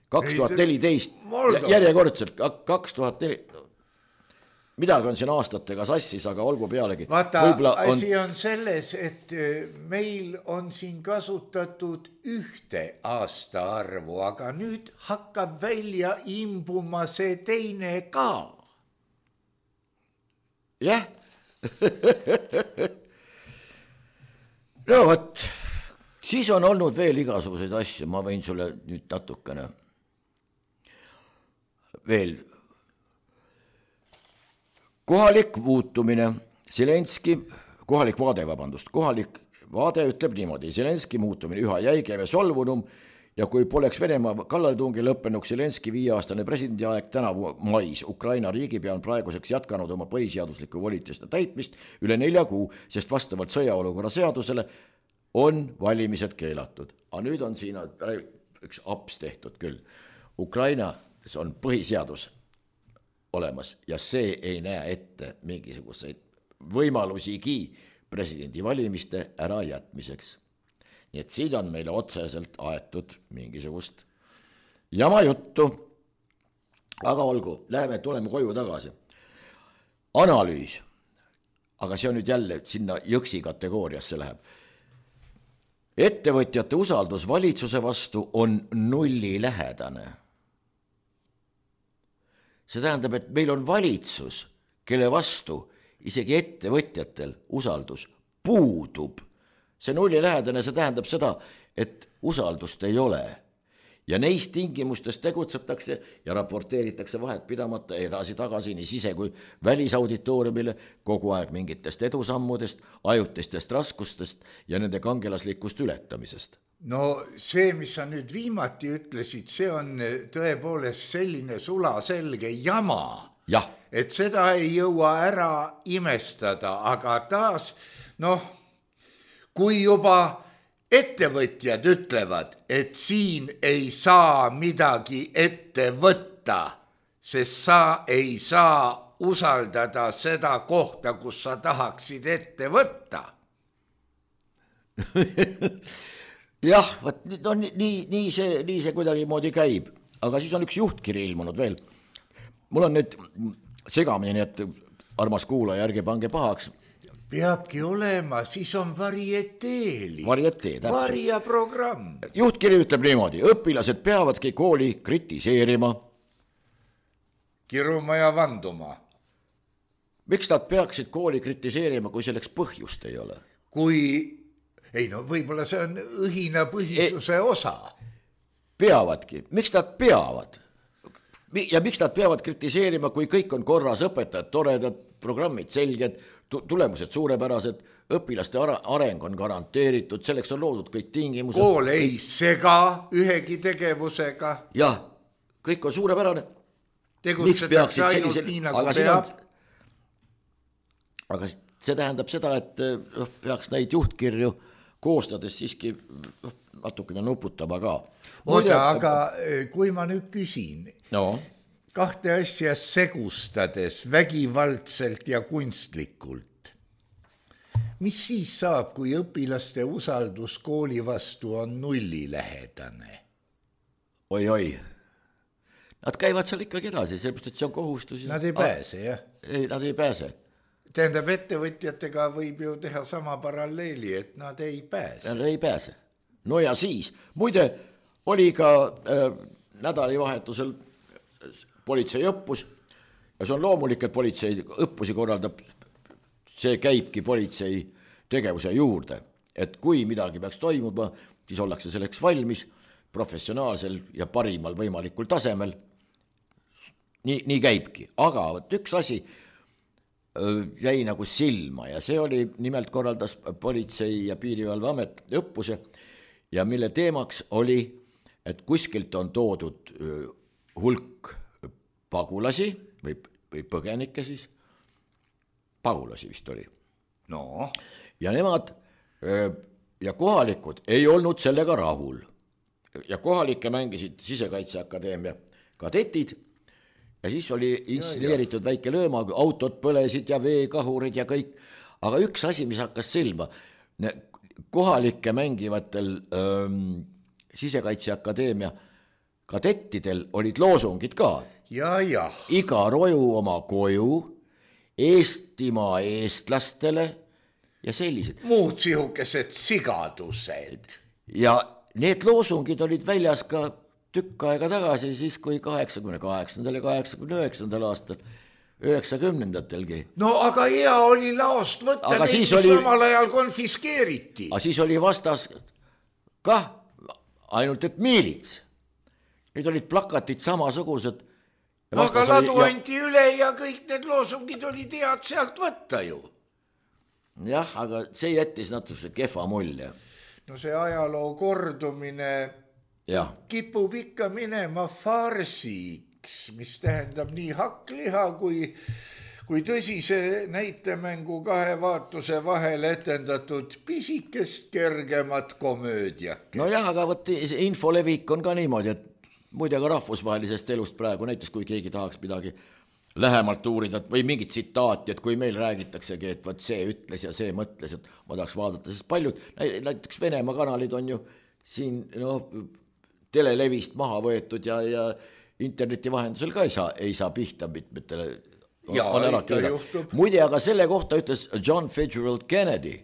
kaks tuhat neliteist, järjekordselt kaks tuhat neliteist, midagi on siin aastatega sassis, aga olgu pealegi. Vaata, asi on selles, et meil on siin kasutatud ühte aasta arvu, aga nüüd hakkab välja imbuma see teine ka. Jah. No võt, siis on olnud veel igasuguseid asju, ma võin sulle nüüd natukene veel. Kohalik muutumine, Zelenski, kohalik vaade, vabandust, kohalik vaade ütleb niimoodi, Zelenski muutumine üha jäigem ja solvunum ja kui poleks Venemaa kallaletungi lõppenuks Zelenski viieaastane presidendi aeg tänavu mais, Ukraina riigipea on praeguseks jätkanud oma põhiseadusliku volituste täitmist üle nelja kuu, sest vastavalt sõjaolukorra seadusele on valimised keelatud. Aga nüüd on siin üks aps tehtud küll. Ukraina on põhiseadus olemas ja see ei näe ette mingisuguseid võimalusigi presidendi valimiste ära jätmiseks. Nii et siin on meile otseselt aetud mingisugust jama juttu. Aga olgu, läheme, tuleme koju tagasi. Analüüs, aga see on nüüd jälle sinna jõksi kategooriasse läheb. Ettevõtjate usaldus valitsuse vastu on nulli lähedane. See tähendab, et meil on valitsus, kelle vastu isegi ettevõtjatel usaldus puudub. See nulli lähedane, see tähendab seda, et usaldust ei ole. Ja neist tingimustes tegutsetakse ja raporteeritakse vahet pidamata edasi tagasi nii sise- kui välisauditooriumile kogu aeg mingitest edusammudest, ajutistest raskustest ja nende kangelaslikust ületamisest. No see, mis sa nüüd viimati ütlesid, see on tõepoolest selline sulaselge jama, ja. Et seda ei jõua ära imestada, aga taas, noh, kui juba ettevõtjad ütlevad, et siin ei saa midagi ette võtta, sest sa ei saa usaldada seda kohta, kus sa tahaksid ette võtta. jah, võt, no, nii, nii, see, nii see kuidagi moodi käib, aga siis on üks juhtkiri ilmunud veel. Mul on nüüd segamini, et armas kuulaja, ärge pange pahaks. Peabki olema, siis on varieteeli. Varietee, täpselt. Varia programm. Juhtkiri ütleb niimoodi, õpilased peavadki kooli kritiseerima. Kiruma ja vanduma. Miks nad peaksid kooli kritiseerima, kui selleks põhjust ei ole? Kui, ei no võib-olla see on õhina põhisuse e... osa. Peavadki, miks nad peavad? Ja miks nad peavad kritiseerima, kui kõik on korras, õpetajad toredad, programmid selged, tulemused suurepärased, õpilaste areng on garanteeritud, selleks on loodud kõik tingimused. Kool ei sega ühegi tegevusega. Jah, kõik on suurepärane. Tegutsetakse ainult sellisel... nii, nagu aga peab. On... Aga see tähendab seda, et peaks neid juhtkirju koostades siiski natukene nuputama ka. Oda, aga kui ma nüüd küsin, no. kahte asja segustades vägivaldselt ja kunstlikult, mis siis saab, kui õpilaste usaldus kooli vastu on nullilähedane? Oi-oi, nad käivad seal ikkagi edasi, sellepärast, et see on kohustus. Nad ei pääse, jah? Ei, nad ei pääse. Tähendab, ettevõtjatega võib ju teha sama paralleeli, et nad ei pääse. Nad ei pääse. No ja siis, muide, oli ka äh, nädalivahetusel politsei õppus ja see on loomulik, et politsei õppusi korraldab, see käibki politsei tegevuse juurde, et kui midagi peaks toimuma, siis ollakse selleks valmis professionaalsel ja parimal võimalikul tasemel. Nii, nii käibki, aga võt, üks asi jäi nagu silma ja see oli, nimelt korraldas politsei ja piirivalveamet õppuse ja mille teemaks oli, et kuskilt on toodud hulk pagulasi või, või põgenikke siis, pagulasi vist oli. No. Ja nemad ja kohalikud ei olnud sellega rahul ja kohalikke mängisid Sisekaitseakadeemia kadetid ja siis oli installeeritud väike lööma, autod põlesid ja veekahurid ja kõik, aga üks asi, mis hakkas silma, kohalike mängivatel ähm, Sisekaitseakadeemia kadettidel olid loosungid ka. Ja, ja. Iga roju oma koju, Eestimaa eestlastele ja sellised. Muud sihukesed sigadused. Ja need loosungid olid väljas ka tükk aega tagasi, siis kui kaheksakümne kaheksandal ja kaheksakümne üheksandal aastal, üheksakümnendatelgi. No aga hea oli laost võtta, aga neid, mis oli... samal ajal konfiskeeriti. Aga siis oli vastas kah ainult, et miilits. Nüüd olid plakatid samasugused. No aga ladu oli... anti üle ja kõik need loosungid olid head sealt võtta ju. Jah, aga see jättis natuke kehva mulje. No see ajaloo kordumine ja. Kipub ikka minema farsiks, mis tähendab nii hakkliha kui, kui tõsise näitemängu kahe vaatuse vahel etendatud pisikest kergemat komöödiak. No jah, aga võt, infolevik on ka niimoodi, et muide ka rahvusvahelisest elust praegu, näiteks kui keegi tahaks midagi lähemalt uurida või mingit tsitaati, et kui meil räägitaksegi, et võt see ütles ja see mõtles, et ma tahaks vaadata, sest paljud, näiteks Venemaa kanalid on ju siin no, telelevist maha võetud ja, ja interneti vahendusel ka ei saa, ei saa pihta mitmetele. Ja, muide, aga selle kohta ütles John Fitzgerald Kennedy,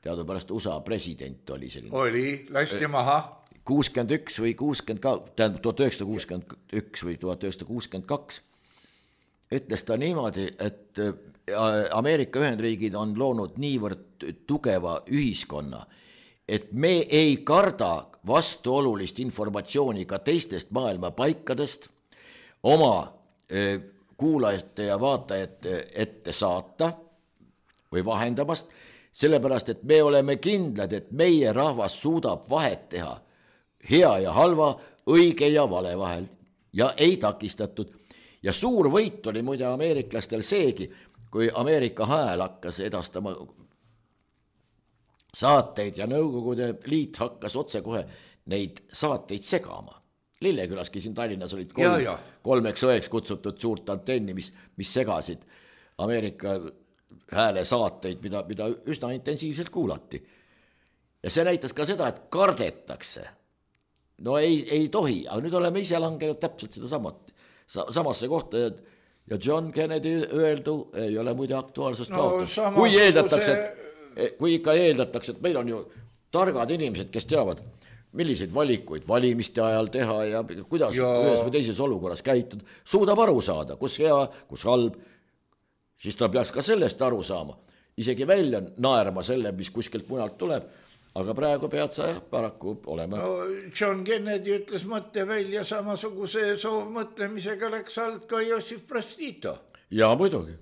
teadupärast U S A president oli selline. Oli, lasti maha. kuuskümmend üks või kuuskümmend kaks, tähendab tuhat üheksasada kuuskümmend üks või tuhat üheksasada kuuskümmend kaks, ütles ta niimoodi, et Ameerika Ühendriigid on loonud niivõrd tugeva ühiskonna, et me ei karda vastuolulist informatsiooni ka teistest maailma paikadest oma kuulajate ja vaatajate ette saata või vahendamast, sellepärast, et me oleme kindlad, et meie rahvas suudab vahet teha hea ja halva, õige ja vale vahel ja ei takistatud. Ja suur võit oli muide ameeriklastel seegi, kui Ameerika Hääl hakkas edastama saateid ja Nõukogude Liit hakkas otsekohe neid saateid segama. Lillekülaski siin Tallinnas olid kolm, ja, ja. kolmeks õeks kutsutud suurt antenni, mis, mis segasid Ameerika hääle saateid, mida, mida üsna intensiivselt kuulati. Ja see näitas ka seda, et kardetakse. No ei, ei tohi, aga nüüd oleme ise langenud täpselt seda samat, samasse kohta ja John Kennedy öeldu ei ole muide aktuaalsust no, kaotus. Kui eeldatakse, see... kui ikka eeldatakse, et meil on ju targad inimesed, kes teavad, milliseid valikuid valimiste ajal teha ja kuidas ja... ühes või teises olukorras käitud, suudab aru saada, kus hea, kus halb, siis ta peaks ka sellest aru saama. Isegi välja naerma selle, mis kuskilt mujalt tuleb, aga praegu pead sa paraku olema. No, John Kennedy ütles mõtte välja samasuguse soovmõtlemisega läks alt ka Jossif Broz Tito. Ja muidugi.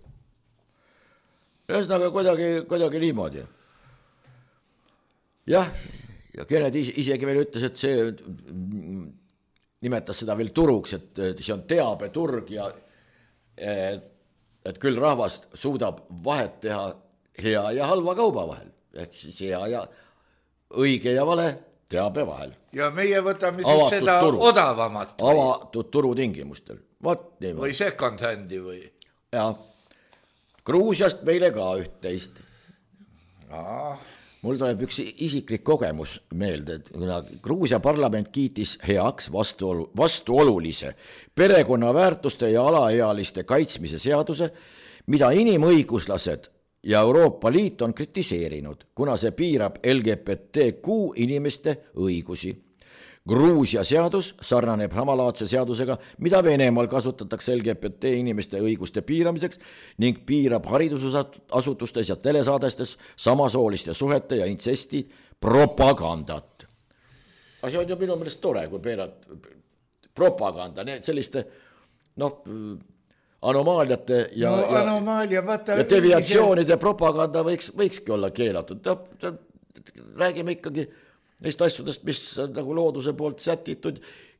Ühesõnaga kuidagi, kuidagi niimoodi. Jah, ja Kennedy isegi veel ütles, et see nimetas seda veel turuks, et see on teabeturg ja et, et küll rahvast suudab vahet teha hea ja halva kauba vahel. Ehk siis hea ja õige ja vale teabe vahel. Ja meie võtame siis avatud seda turu. Odavamat. Või? Avatud turu tingimustel. Võt, või second handi või? Ja Gruusiast meile ka üht-teist. Aa. Mul tuleb üks isiklik kogemus meelde, et kuna Gruusia parlament kiitis heaks vastuolu, vastuolulise perekonnaväärtuste ja alaealiste kaitsmise seaduse, mida inimõiguslased ja Euroopa Liit on kritiseerinud, kuna see piirab L G B T Q inimeste õigusi. Gruusia seadus sarnaneb samalaadse seadusega, mida Venemaal kasutatakse L G B T inimeste õiguste piiramiseks ning piirab haridusasutustes ja telesaadestes samasooliste suhete ja intsesti propagandat. Aga see on ju minu meelest tore, kui peerad propaganda, selliste noh, anomaaliate ja, no, ja, anomaalia, vaata, ja deviatsioonide ülise... propaganda võiks, võikski olla keelatud. Ta, ta, räägime ikkagi neist asjadest, mis nagu looduse poolt sätitud,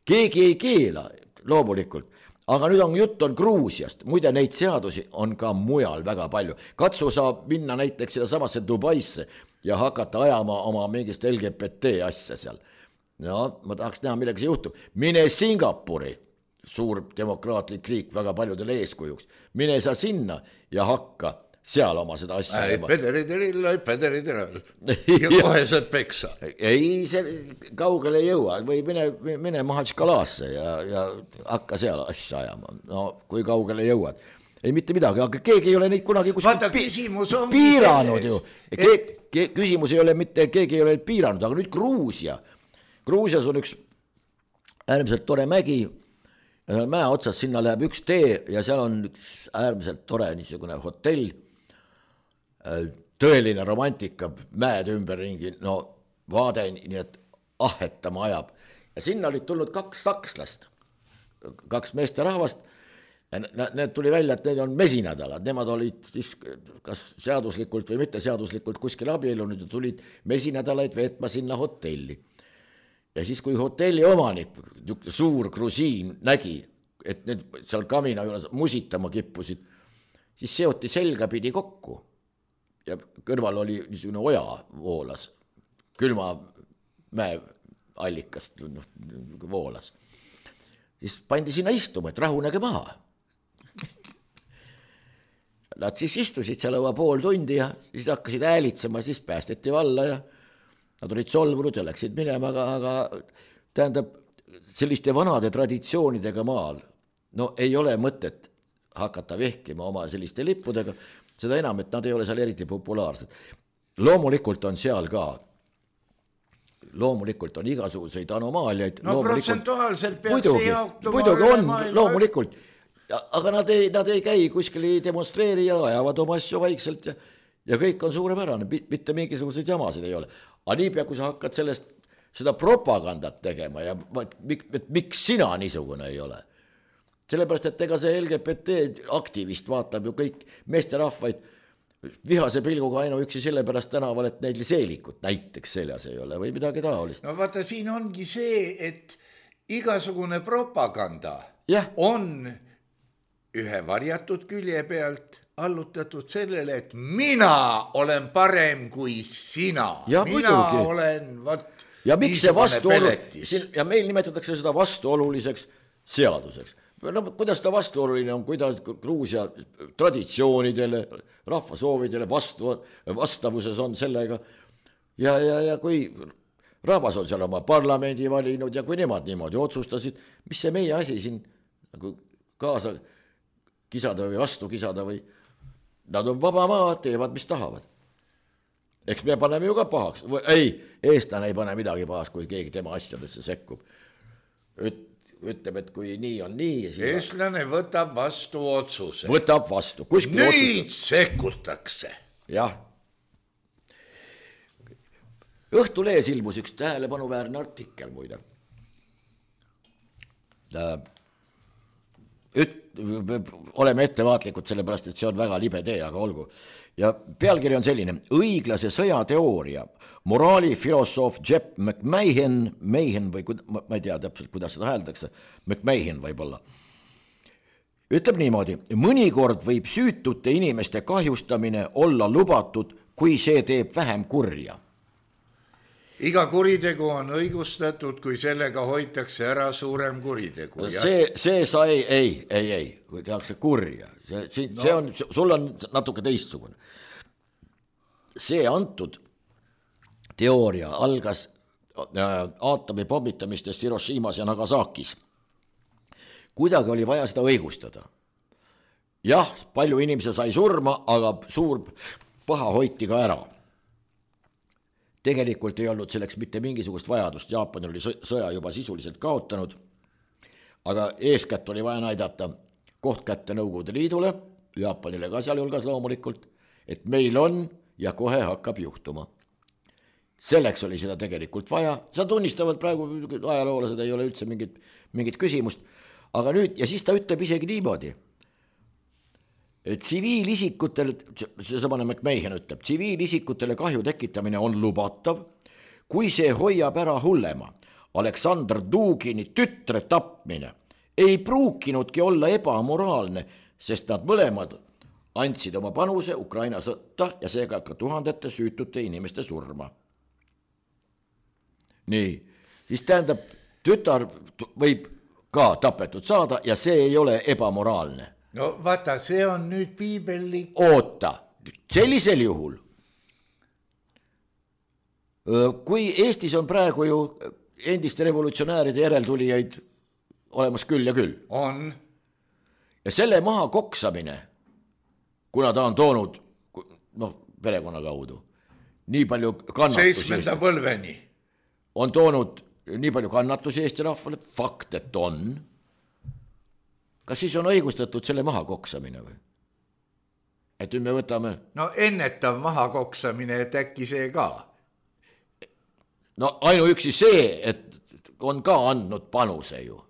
keegi ei keela loomulikult, aga nüüd on jutt on Gruusiast, muide neid seadusi on ka mujal väga palju, katsu saab minna näiteks seda samasse Dubaisse ja hakata ajama oma mingist L G B T asja seal, no ma tahaks näha millega see juhtub, mine Singapuri, suur demokraatlik riik väga paljudele eeskujuks, mine sa sinna ja hakka seal oma seda asja ei, pederidirilla, pederidirilla ja kohe saad peksa. Ei, see kaugele ei jõua või mine, mine Mahachkalasse ja, ja hakka seal asja ajama. No, kui kaugele jõuad. Ei mitte midagi, aga keegi ei ole neid kunagi Vaata, pi piiranud ju. Et... Ke küsimus ei ole mitte, keegi ei ole piiranud, aga nüüd Gruusia. Gruusias on üks äärmiselt tore mägi, ja seal mäe otsas sinna läheb üks tee ja seal on üks äärmiselt tore niisugune hotell, tõeline romantika, mäed ümberringi, no vaade nii, et ahetama ajab. Ja sinna olid tulnud kaks sakslast, kaks meesterahvast, need tuli välja, et need on mesinädalad, nemad olid siis kas seaduslikult või mitte seaduslikult kuskil abiellunud ja tulid mesinädalaid veetma sinna hotelli. Ja siis, kui hotelli omanik, suur grusiin, nägi, et need seal kamina juures musitama kippusid, siis seoti selga pidi kokku. Ja kõrval oli niisugune oja voolas, külma mäe allikast no, voolas. Siis pandi sinna istuma, et rahunege maha. Nad siis istusid seal õua pool tundi ja siis hakkasid häälitsema, siis päästeti valla ja nad olid solvunud ja läksid minema, aga, aga tähendab, selliste vanade traditsioonidega maal, no ei ole mõtet hakata vehkima oma selliste lippudega, seda enam, et nad ei ole seal eriti populaarsed. Loomulikult on seal ka, loomulikult on igasuguseid anomaaliaid. No protsentuaalselt peaks see jaotuma üle maailma. Loomulikult, aga nad ei, nad ei käi kuskil ei demonstreeri ja ajavad oma asju vaikselt ja, ja kõik on suurepärane, mitte mingisuguseid jamasid ei ole. Aga niipea, kui sa hakkad sellest, seda propagandat tegema ja mik, miks sina niisugune ei ole? Sellepärast, et ega see L G B T aktivist vaatab ju kõik meesterahvaid vihase pilguga ainuüksi sellepärast tänaval, et neil seelikut näiteks seljas ei ole või midagi taolist. No vaata, siin ongi see, et igasugune propaganda ja. On ühe varjatud külje pealt allutatud sellele, et mina olen parem kui sina. Ja mina muidugi. olen, vot, ja miks see vastuolu, ja meil nimetatakse seda vastuoluliseks seaduseks. No, kuidas ta vastuoluline on, kuidas Gruusia traditsioonidele, rahvasoovidele vastu, vastavuses on sellega. Ja, ja, ja kui rahvas on seal oma parlamendi valinud ja kui nemad niimoodi otsustasid, mis see meie asi siin nagu kaasa kisada või vastu kisada või nad on vaba maa, teevad mis tahavad. Eks me paneme ju ka pahaks. Ei, eestlane ei pane midagi pahaks, kui keegi tema asjadesse sekkub. Üt, ütleb, et kui nii on nii. Siis eestlane võtab vastu otsuse. Võtab vastu. Kuskil nüüd otsustab. Sekkutakse. Jah. Õhtulees ilmus üks tähelepanuväärne artikkel muide. Üt, oleme ettevaatlikud sellepärast, et see on väga libe tee, aga olgu. Ja pealkiri on selline: õiglase sõjateooria, moraalifilosoof Jeff McMahon, Mahon või ma ei tea täpselt, kuidas seda hääldakse, McMahon võib-olla, ütleb niimoodi: mõnikord võib süütute inimeste kahjustamine olla lubatud, kui see teeb vähem kurja. Iga kuritegu on õigustatud, kui sellega hoitakse ära suurem kuritegu. See, see sai, ei, ei, ei, kui tehakse kurja. See, see, no. see on, sul on natuke teistsugune. See antud teooria algas aatomi pommitamistest Hiroshimas ja Nagasakis. Kuidagi oli vaja seda õigustada. Jah, palju inimesi sai surma, aga suur paha hoiti ka ära. Tegelikult ei olnud selleks mitte mingisugust vajadust, Jaapan oli sõja juba sisuliselt kaotanud, aga eeskätt oli vaja näidata koht kätte Nõukogude Liidule, Jaapanile ka seal julgas loomulikult, et meil on ja kohe hakkab juhtuma. Selleks oli seda tegelikult vaja, seda tunnistavad praegu ajaloolased, ei ole üldse mingit, mingit küsimust, aga nüüd, ja siis ta ütleb isegi niimoodi, et tsiviilisikutel, see samane McMahon ütleb, tsiviilisikutele kahju tekitamine on lubatav, kui see hoiab ära hullema. Aleksandr Dugini tütre tapmine ei pruukinudki olla ebamoraalne, sest nad mõlemad andsid oma panuse Ukraina sõtta ja seega ka tuhandete süütute inimeste surma. Nii, siis tähendab, tütar võib ka tapetud saada ja see ei ole ebamoraalne. No vaata, see on nüüd piibellik. Oota, sellisel juhul, kui Eestis on praegu ju endiste revolutsionääride järeltulijaid olemas küll ja küll. On. Ja selle maha koksamine, kuna ta on toonud, noh, perekonna kaudu, nii palju kannatusi. Seitsmenda põlveni. On toonud nii palju kannatusi Eesti rahvale, fakt, et on. Kas siis on õigustatud selle maha koksamine või? Et nüüd me võtame... No ennetav maha koksamine, et äkki see ka. No ainuüksi see, et on ka andnud panuse ju.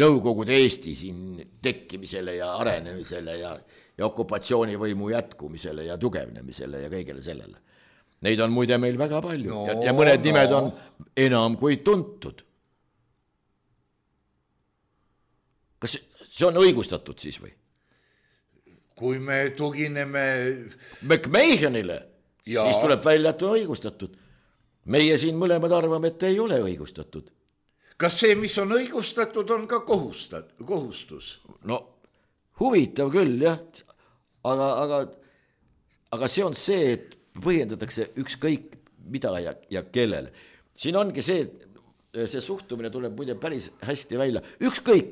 Nõukogude Eesti siin tekkimisele ja arenemisele ja, ja okupatsioonivõimu jätkumisele ja tugevnemisele ja kõigele sellele. Neid on muide meil väga palju no, ja, ja mõned no. nimed on enam kui tuntud. Kas see on õigustatud siis või? Kui me tugineme... McMahonile, ja. Siis tuleb välja, et on õigustatud. Meie siin mõlemad arvame, et ei ole õigustatud. Kas see, mis on õigustatud, on ka kohustat, kohustus? No huvitav küll, jah. Aga, aga, aga see on see, et põhjendatakse ükskõik mida ja, ja kellele. Siin ongi see... see suhtumine tuleb muide päris hästi välja. Ükskõik,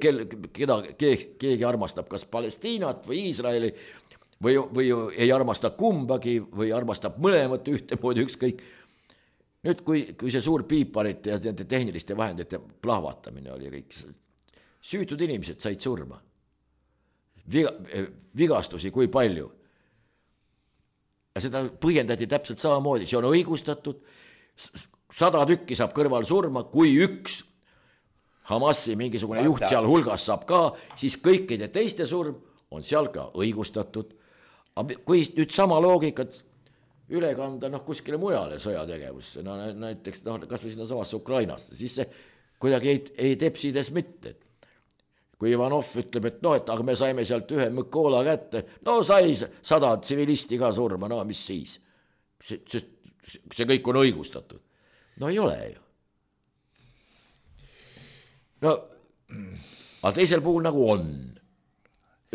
keda keegi armastab, kas Palestiinat või Iisraeli või, või ei armasta kumbagi või armastab mõlemat ühtemoodi ükskõik. Nüüd, kui, kui see suur piiparite ja tehniliste vahendite plahvatamine oli kõik, süütud inimesed said surma. Viga, vigastusi kui palju. Ja seda põhjendati täpselt samamoodi, see on õigustatud. Sada tükki saab kõrval surma, kui üks Hamasi mingisugune juht seal hulgas saab ka, siis kõikide teiste surm on seal ka õigustatud. Kui nüüd sama loogikat üle kanda noh, kuskile mujale sõjategevusse, no näiteks no, kas või sinna samasse Ukrainasse, siis see kuidagi ei, ei tepsides mitte. kui Ivanov ütleb, et noh, et aga me saime sealt ühe Mõkola kätte, no sai sada tsivilisti ka surma, no mis siis? See, see, see kõik on õigustatud. No ei ole ju. No, aga teisel puhul nagu on.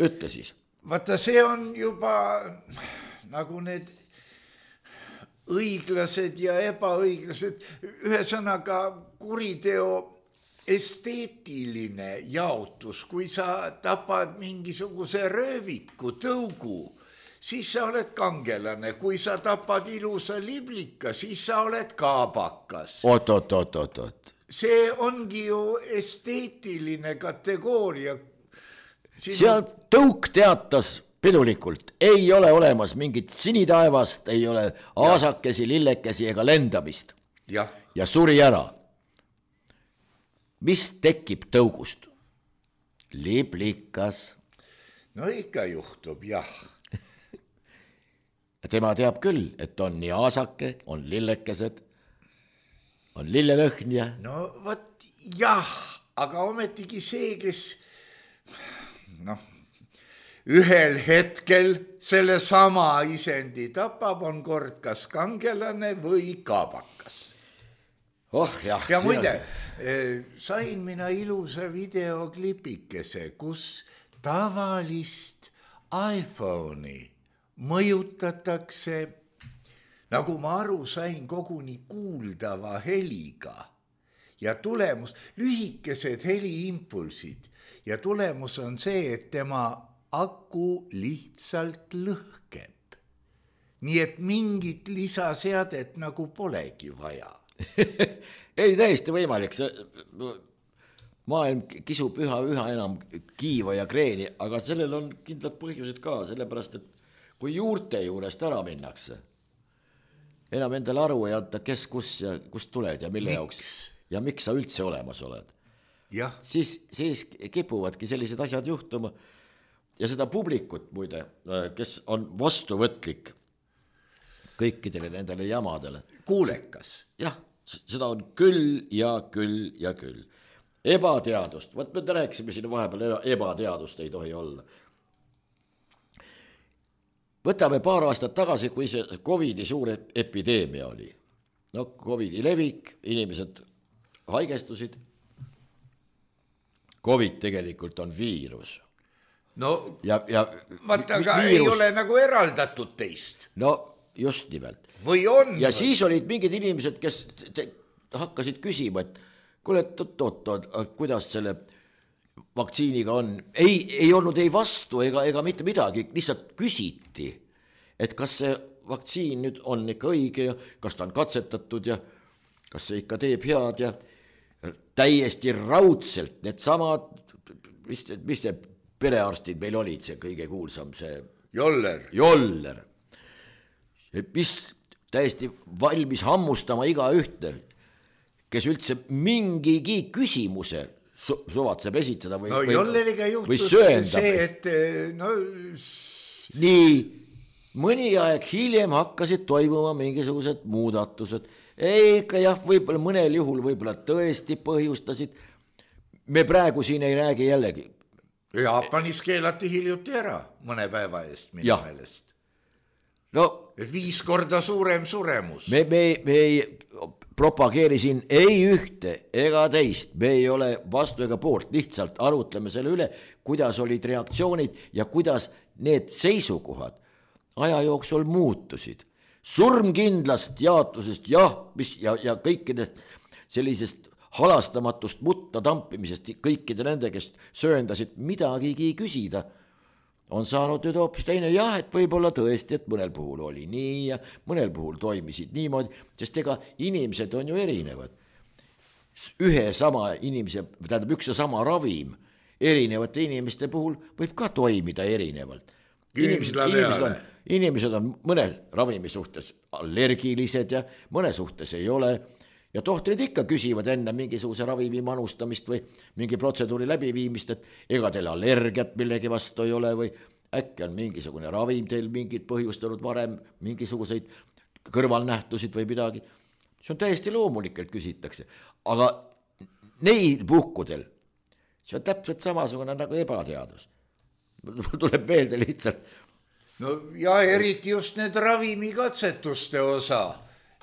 Ütle siis. Vaata, see on juba nagu need õiglased ja ebaõiglased, ühesõnaga kuriteo esteetiline jaotus, kui sa tapad mingisuguse rööviku, tõugu, siis sa oled kangelane, kui sa tapad ilusa liblika, siis sa oled kaabakas. Oot, oot, oot, oot, oot. See ongi ju esteetiline kategooria. Siin seal tõuk teatas pidulikult, ei ole olemas mingit sinitaevast, ei ole aasakesi, lillekesi ega lendamist. Ja, ja suri ära. Mis tekib tõugust? Liblikas. No ikka juhtub, jah. Tema teab küll, et on nii aasake, on lillekesed, on lillelõhn ja... No võt, jah, aga ometigi see, kes noh, ühel hetkel selle sama isendi tapab, on kord kas kangelane või kaabakas. Oh, jah, ja muide, sain mina ilusa videoklipikese, kus tavalist iPhone'i mõjutatakse, nagu ma aru sain, koguni kuuldava heliga ja tulemus, lühikesed heliimpulsid ja tulemus on see, et tema aku lihtsalt lõhkeb. Nii et mingit lisaseadet nagu polegi vaja. Ei, täiesti võimalik, see maailm kisub üha, üha enam kiiva ja kreeni, aga sellel on kindlad põhjused ka, sellepärast, et kui juurte juurest ära minnakse, enam endale aru ei anta, kes, kus ja kust tuled ja mille jaoks ja miks sa üldse olemas oled. Ja. Siis, siis kipuvadki sellised asjad juhtuma ja seda publikut muide, kes on vastuvõtlik kõikidele nendele jamadele. Kuulekas. Jah, seda on küll ja küll ja küll. Ebateadust, võt me rääkisime siin vahepeal, ebateadust ei tohi olla. Võtame paar aastat tagasi, kui see Covidi suur epideemia oli. No Covidi levik, inimesed haigestusid. Covid tegelikult on viirus. No, ja, ja vaata, aga viirus... ei ole nagu eraldatud teist. No, just nimelt. Või on? Ja või? Siis olid mingid inimesed, kes te, hakkasid küsima, et kuule, oot-oot, kuidas selle vaktsiiniga on. Ei, ei olnud ei vastu ega, ega mitte midagi, lihtsalt küsiti, et kas see vaktsiin nüüd on ikka õige ja kas ta on katsetatud ja kas see ikka teeb head ja täiesti raudselt need samad, mis, mis te perearstid meil olid, see kõige kuulsam, see Joller. Joller. Mis täiesti valmis hammustama iga ühte, kes üldse mingigi küsimuse su- suvatseb esitada või, no, või, Jolleriga või sööndab. See, et no... Nii, mõni aeg hiljem hakkasid toimuma mingisugused muudatused. Ei, ikka jah, võib-olla mõnel juhul võib-olla tõesti põhjustasid. Me praegu siin ei räägi jällegi. Jaapanis keelati hiljuti ära mõne päeva eest minu ja. Meelest. No, viis korda suurem suremus. Me, me, me ei propageeri siin ei ühte ega teist, me ei ole vastu ega poolt, lihtsalt arutleme selle üle, kuidas olid reaktsioonid ja kuidas need seisukohad aja jooksul muutusid. Surmkindlast jaotusest jah, mis, ja, ja kõikide sellisest halastamatust mutta tampimisest, kõikide nende, kes sööndasid midagigi küsida, on saanud nüüd hoopis teine, jah, et võib-olla tõesti, et mõnel puhul oli nii ja mõnel puhul toimisid niimoodi, sest ega inimesed on ju erinevad. Ühe sama inimese, tähendab üks ja sama ravim erinevate inimeste puhul võib ka toimida erinevalt. Inimesed, inimesed, on, inimesed on mõne ravimi suhtes allergilised ja mõne suhtes ei ole. Ja tohtrid ikka küsivad enne mingisuguse ravimi manustamist või mingi protseduuri läbiviimist, et ega teil allergiat millegi vastu ei ole või äkki on mingisugune ravim teil mingid põhjustanud varem mingisuguseid kõrvalnähtusid või midagi. See on täiesti loomulikult küsitakse, aga neil puhkudel see on täpselt samasugune nagu ebateadus. Tuleb meelde lihtsalt. No ja eriti just need ravimikatsetuste osa,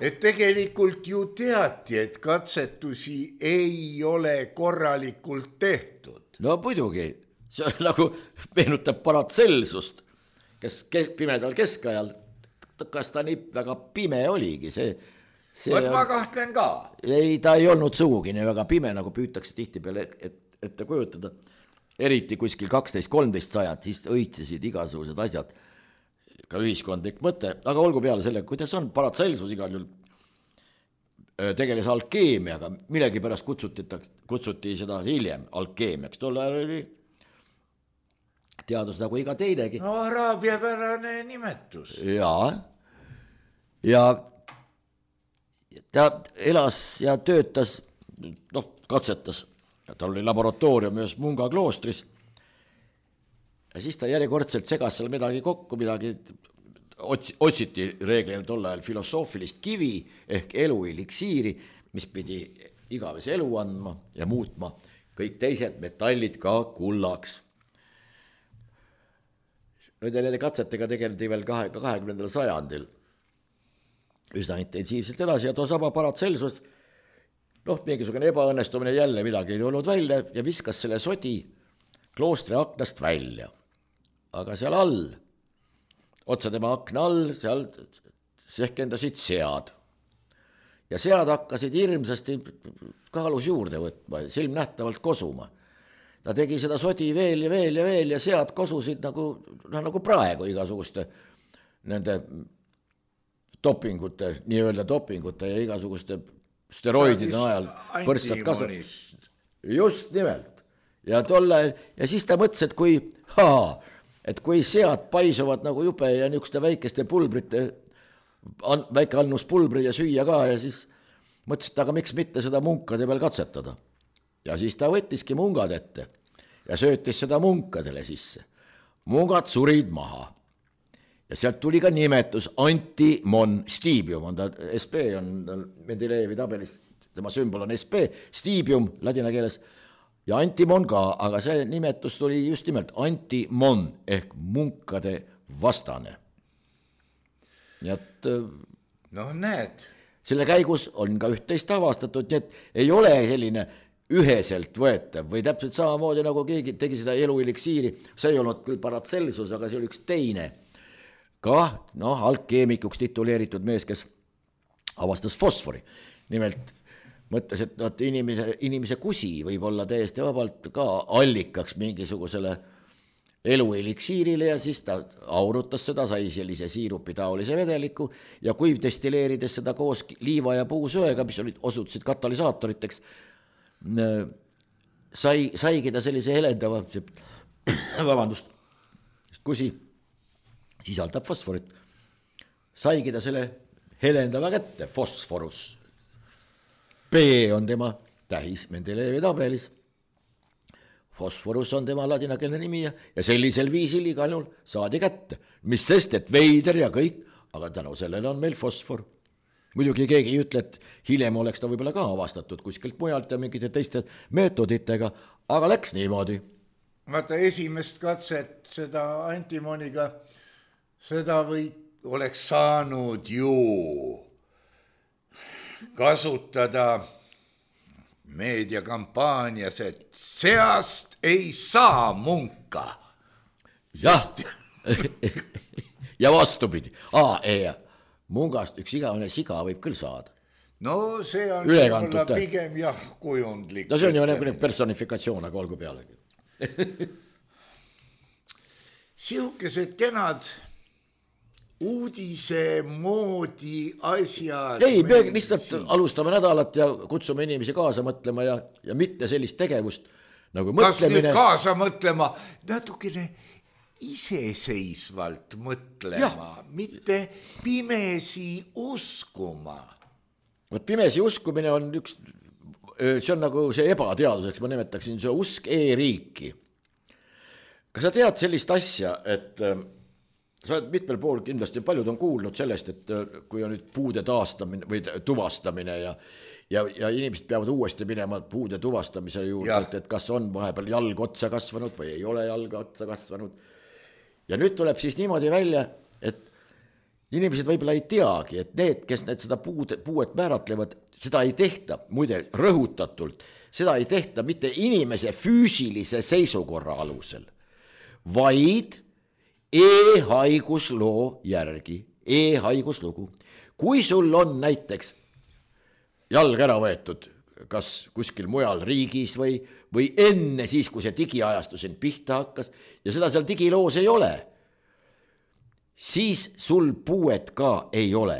et tegelikult ju teati, et katsetusi ei ole korralikult tehtud. No muidugi, see on nagu meenutab Paratselsust, kes pimedal keskajal, kas ta nii väga pime oligi, see Võt ma kahtlen ka. Ei, ta ei olnud sugugi nii väga pime, nagu püütakse tihti peale et, ette kujutada. Eriti kuskil kaksteist kolmteist sajad, siis õitsesid igasugused asjad, ka ühiskondlik mõte, aga olgu peale selle, kuidas on Paracelsus igal juhul tegeles alkeemiaga, millegi pärast kutsuti, kutsuti seda hiljem alkeemiaks, tol ajal oli teadus nagu iga teinegi. No araabia pärane nimetus. Jaa, ja ta elas ja töötas, noh, katsetas, tal oli laboratoorium ühes Munga kloostris ja siis ta järjekordselt segas seal midagi kokku, midagi otsiti reeglina tol ajal filosoofilist kivi ehk elueliksiiri, mis pidi igavese elu andma ja muutma kõik teised metallid ka kullaks. Nüüd nende katsetega tegeldi veel kahekümnendal sajandil üsna intensiivselt edasi ja too sama Paracelsus, noh, mingisugune ebaõnnestumine jälle midagi ei olnud välja ja viskas selle sodi kloostri aknast välja. Aga seal all, otsa tema akna all, seal sehkendasid sead. Ja sead hakkasid hirmsasti kaalus juurde võtma, silmnähtavalt kosuma. Ta tegi seda sodi veel ja veel ja veel ja sead kosusid nagu, no, nagu praegu igasuguste nende dopingute, nii-öelda dopingute ja igasuguste steroidide ajal põrsad kasvab. Just nimelt. Ja tolle, ja siis ta mõtles, et kui, haa, et kui sead paisuvad nagu jube ja niisuguste väikeste pulbrite, väike annus pulbri ja süüa ka ja siis mõtles, et aga miks mitte seda munkade peal katsetada. Ja siis ta võttiski mungad ette ja söötis seda munkadele sisse. Mungad surid maha. Ja sealt tuli ka nimetus antimon stibium, on ta S P, on Mendelejevi tabelis, tema sümbol on S P, stibium ladina keeles ja antimon ka, aga see nimetus tuli just nimelt antimon ehk munkade vastane. Nii et no näed. Selle käigus on ka üht-teist avastatud, nii et ei ole selline üheselt võetav või täpselt samamoodi nagu keegi tegi seda elueliksiiri, see ei olnud küll Paracelsus, aga see oli üks teine ka, noh, alkeemikuks tituleeritud mees, kes avastas fosfori. Nimelt mõtles, et no, inimese, inimese kusi võib olla täiesti vabalt ka allikaks mingisugusele elueliksiirile ja siis ta aurutas seda, sai sellise siirupi taolise vedeliku ja kuiv destilleerides seda koos liiva ja puusööga, mis olid, osutusid katalüsaatoriteks, sai, saigi ta sellise helendava, vabandust, kusi sisaldab fosforit. Saigi ta selle helendava kätte, fosforus. B on tema tähis Mendelejevi tabelis. Fosforus on tema ladinakeelne nimi ja, ja sellisel viisil igal juhul saadi kätte. Mis sest, et veider ja kõik, aga tänu sellele on meil fosfor. Muidugi keegi ei ütle, et hiljem oleks ta võib-olla ka avastatud kuskilt mujalt ja mingite teiste meetoditega, aga läks niimoodi. Vaata, esimest katset seda antimoniga seda või oleks saanud ju kasutada meediakampaanias, et seast ei saa munka. Jah, ja vastupidi. Aa, ei, mungast üks igavene siga võib küll saada. No see on võib-olla pigem jah kujundlik. No see on ju nagu personifikatsioon, aga olgu pealegi. Sihukesed kenad uudise moodi asjad. Ei, me lihtsalt alustame nädalat ja kutsume inimesi kaasa mõtlema ja, ja mitte sellist tegevust nagu mõtlemine. Kas nüüd kaasa mõtlema, natukene iseseisvalt mõtlema, ja. Mitte pimesi uskuma. Võt pimesi uskumine on üks, see on nagu see ebateaduseks, ma nimetaksin see usk e-riiki. Kas sa tead sellist asja, et sa oled mitmel pool kindlasti, paljud on kuulnud sellest, et kui on nüüd puude taastamine või tuvastamine ja, ja, ja inimesed peavad uuesti minema puude tuvastamise juurde, et, et kas on vahepeal jalg otsa kasvanud või ei ole jalga otsa kasvanud. Ja nüüd tuleb siis niimoodi välja, et inimesed võib-olla ei teagi, et need, kes need seda puud, puuet määratlevad, seda ei tehta, muide rõhutatult, seda ei tehta mitte inimese füüsilise seisukorra alusel, vaid e-haigusloo järgi, e-haiguslugu. Kui sul on näiteks jalg ära võetud, kas kuskil mujal riigis või, või enne siis, kui see digiajastu sind pihta hakkas ja seda seal digiloos ei ole, siis sul puuet ka ei ole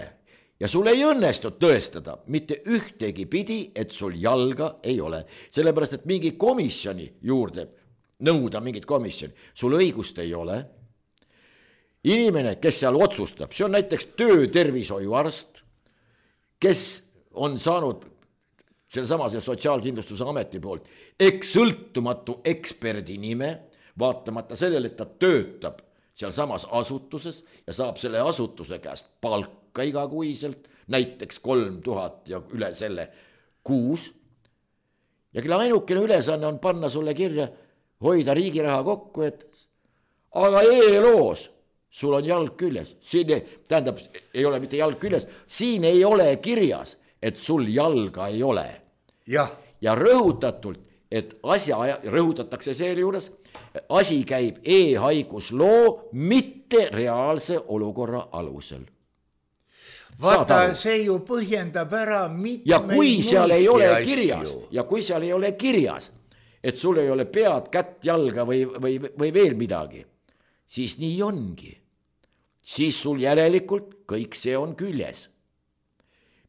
ja sul ei õnnestu tõestada mitte ühtegi pidi, et sul jalga ei ole, sellepärast et mingi komisjoni juurde nõuda mingit komisjoni, sul õigust ei ole. Inimene, kes seal otsustab, see on näiteks töötervishoiuarst, kes on saanud selle samase Sotsiaalkindlustuse ameti poolt eks sõltumatu eksperdi nime, vaatamata sellele, et ta töötab seal samas asutuses ja saab selle asutuse käest palka igakuiselt, näiteks kolm tuhat ja üle selle kuus. Ja kelle ainukene ülesanne on panna sulle kirja, hoida riigiraha kokku, et aga e-loos sul on jalg küljes, siin ei, tähendab, ei ole mitte jalg küljes, siin ei ole kirjas, et sul jalga ei ole. Ja, ja rõhutatult, et asja rõhutatakse selle juures, asi käib e-haigusloo, mitte reaalse olukorra alusel. vaata, see ju põhjendab ära mitmeid ja kui seal ei ole asju. kirjas, ja kui seal ei ole kirjas, et sul ei ole pead, kätt, jalga või, või, või veel midagi, siis nii ongi. Siis sul järelikult kõik see on küljes.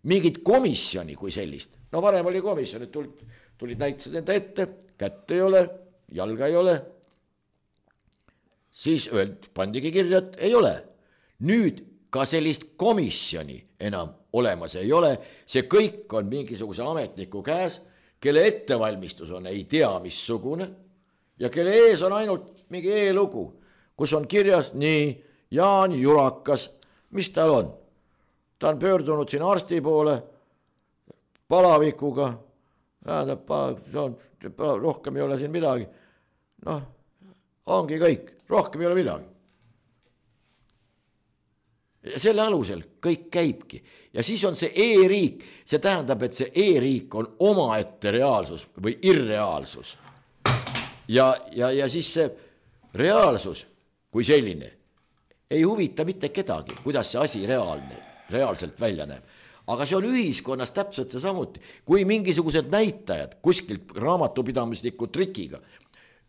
Mingit komisjoni kui sellist, no varem oli komisjon, et tulid, tulid näitasid enda ette, kätt ei ole, jalga ei ole, siis öeldi, pandigi kirja, et ei ole. Nüüd ka sellist komisjoni enam olemas ei ole, see kõik on mingisuguse ametniku käes, kelle ettevalmistus on ei tea missugune ja kelle ees on ainult mingi e-lugu, kus on kirjas nii Jaan Jurakas, mis tal on? Ta on pöördunud siin arsti poole palavikuga, rohkem ei ole siin midagi. Noh, ongi kõik, rohkem ei ole midagi. Ja selle alusel kõik käibki. Ja siis on see e-riik, see tähendab, et see e-riik on omaette reaalsus või irreaalsus. Ja, ja, ja siis see reaalsus kui selline ei huvita mitte kedagi, kuidas see asi reaalne, reaalselt välja näeb. Aga see on ühiskonnas täpselt see samuti. Kui mingisugused näitajad kuskilt raamatupidamisliku trikiga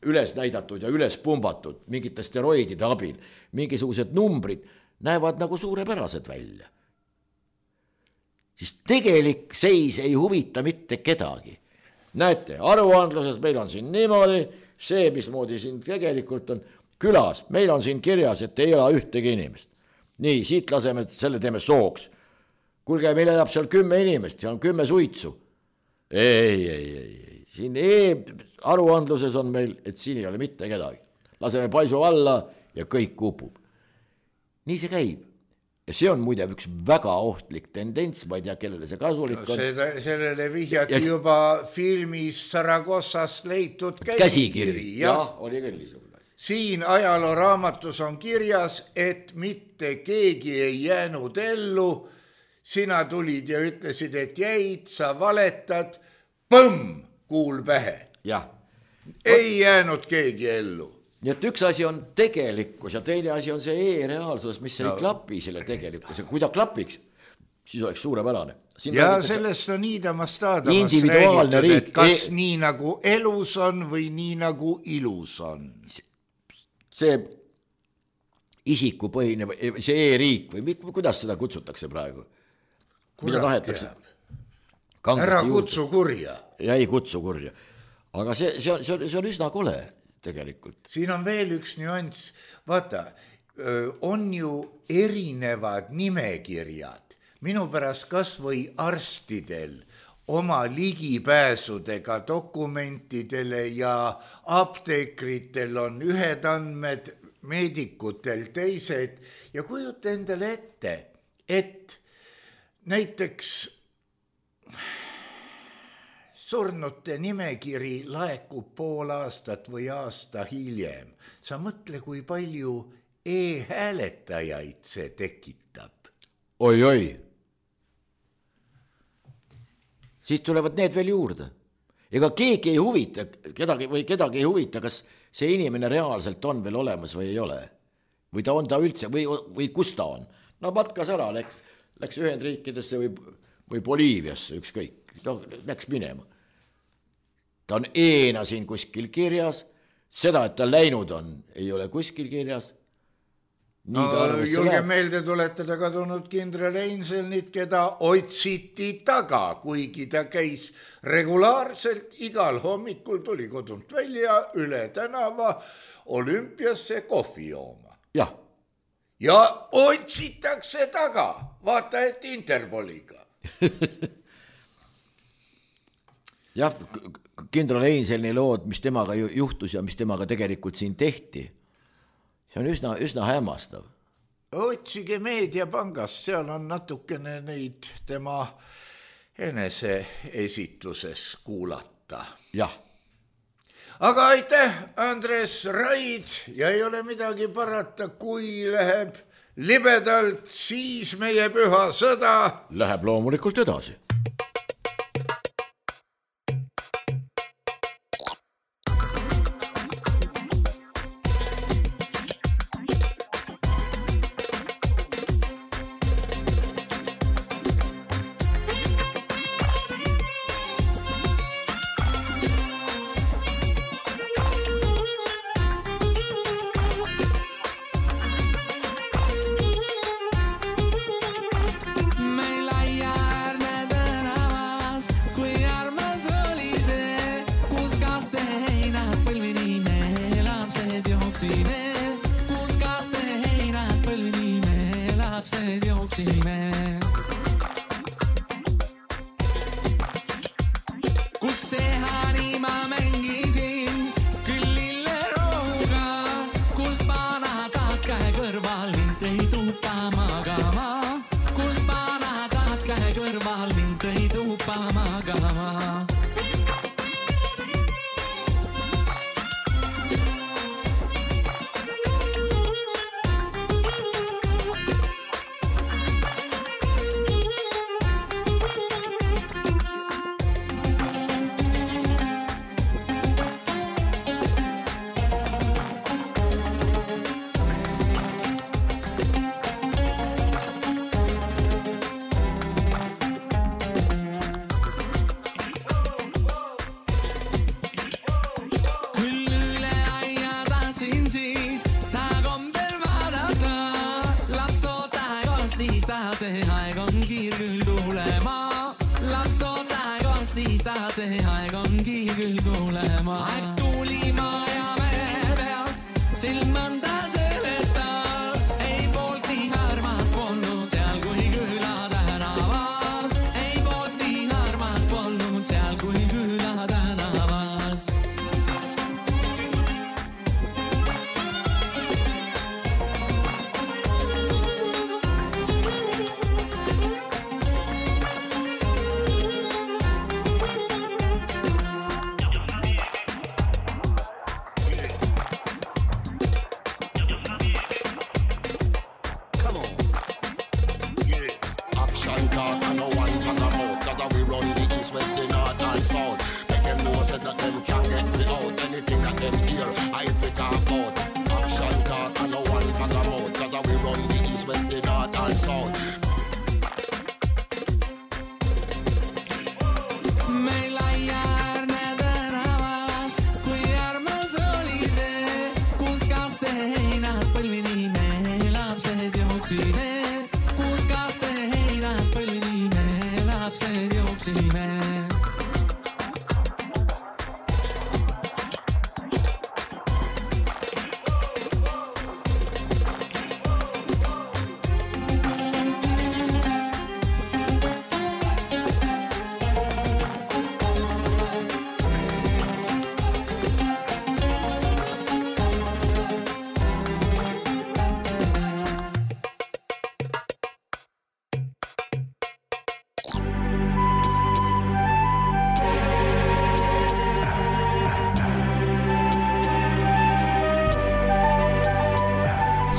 üles näidatud ja üles pumbatud mingite steroidide abil, mingisugused numbrid näevad nagu suurepärased välja, siis tegelik seis ei huvita mitte kedagi. Näete, aruandluses meil on siin niimoodi, see, mismoodi siin tegelikult on külas, meil on siin kirjas, et ei ela ühtegi inimest. Nii, siit laseme, selle teeme sooks. Kuulge, meil elab seal kümme inimest ja on kümme suitsu. Ei, ei, ei, ei. Siin e-aruandluses on meil, et siin ei ole mitte kedagi. Laseme paisu alla ja kõik kupub. Nii see käib. Ja see on muide üks väga ohtlik tendents, ma ei tea, kellele see kasulik on. Seda, sellele vihjati ja juba filmis Saragossast leitud käsikiri. Käsikiri, jah, oli küll niisugune. Siin ajalooraamatus on kirjas, et mitte keegi ei jäänud ellu, sina tulid ja ütlesid, et jäid, sa valetad, põmm, kuul pähe. Jah. Ei jäänud keegi ellu. Nii et üks asi on tegelikkus ja teine asi on see e-reaalsus, mis no. ei klapi selle tegelikkus. Ja kui ta klapiks, siis oleks suurepärane. Siin ja sellest on Iida Mastadovas räägitud, et kas e... nii nagu elus on või nii nagu ilus on. See isikupõhine, see e-riik või kuidas seda kutsutakse praegu? Mida tahetakse? Ära kutsu kurja. Ja ei kutsu kurja. Aga see, see, on, see, on, see on üsna kole tegelikult. Siin on veel üks nüanss. Vaata, on ju erinevad nimekirjad. Minu pärast kas või arstidel oma ligipääsudega dokumentidele ja apteekritel on ühed andmed, meedikutel teised ja kujuta endale ette, et näiteks surnute nimekiri laekub pool aastat või aasta hiljem. Sa mõtle, kui palju e-hääletajaid see tekitab. Oi-oi. Siit tulevad need veel juurde. Ega keegi ei huvita, kedagi või kedagi ei huvita, kas see inimene reaalselt on veel olemas või ei ole. Või ta on ta üldse, või, või kus ta on. No matkas ära, läks, läks Ühendriikidesse või, või Boliiviasse, ükskõik. No, läks minema. Ta on eena siin kuskil kirjas. Seda, et ta läinud on, ei ole kuskil kirjas. No, julge meelde tuletada kadunud kindral Einselnit, keda otsiti taga, kuigi ta käis regulaarselt igal hommikul tuli kodunt välja üle tänava olümpiasse kohvi jooma. Jah. Ja otsitakse taga, vaata et Interpoliga. Jah, kindral Einselni lood, mis temaga juhtus ja mis temaga tegelikult siin tehti. See on üsna, üsna hämmastav. Otsige Meediapangast, seal on natukene neid tema enese esitluses kuulata. Jah. Aga aitäh, Andres Raid, ja ei ole midagi parata, kui läheb libedalt, siis meie püha sõda läheb loomulikult edasi.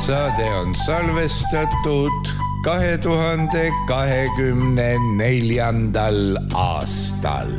saade on salvestatud kahe tuhande kahekümne neljandal aastal.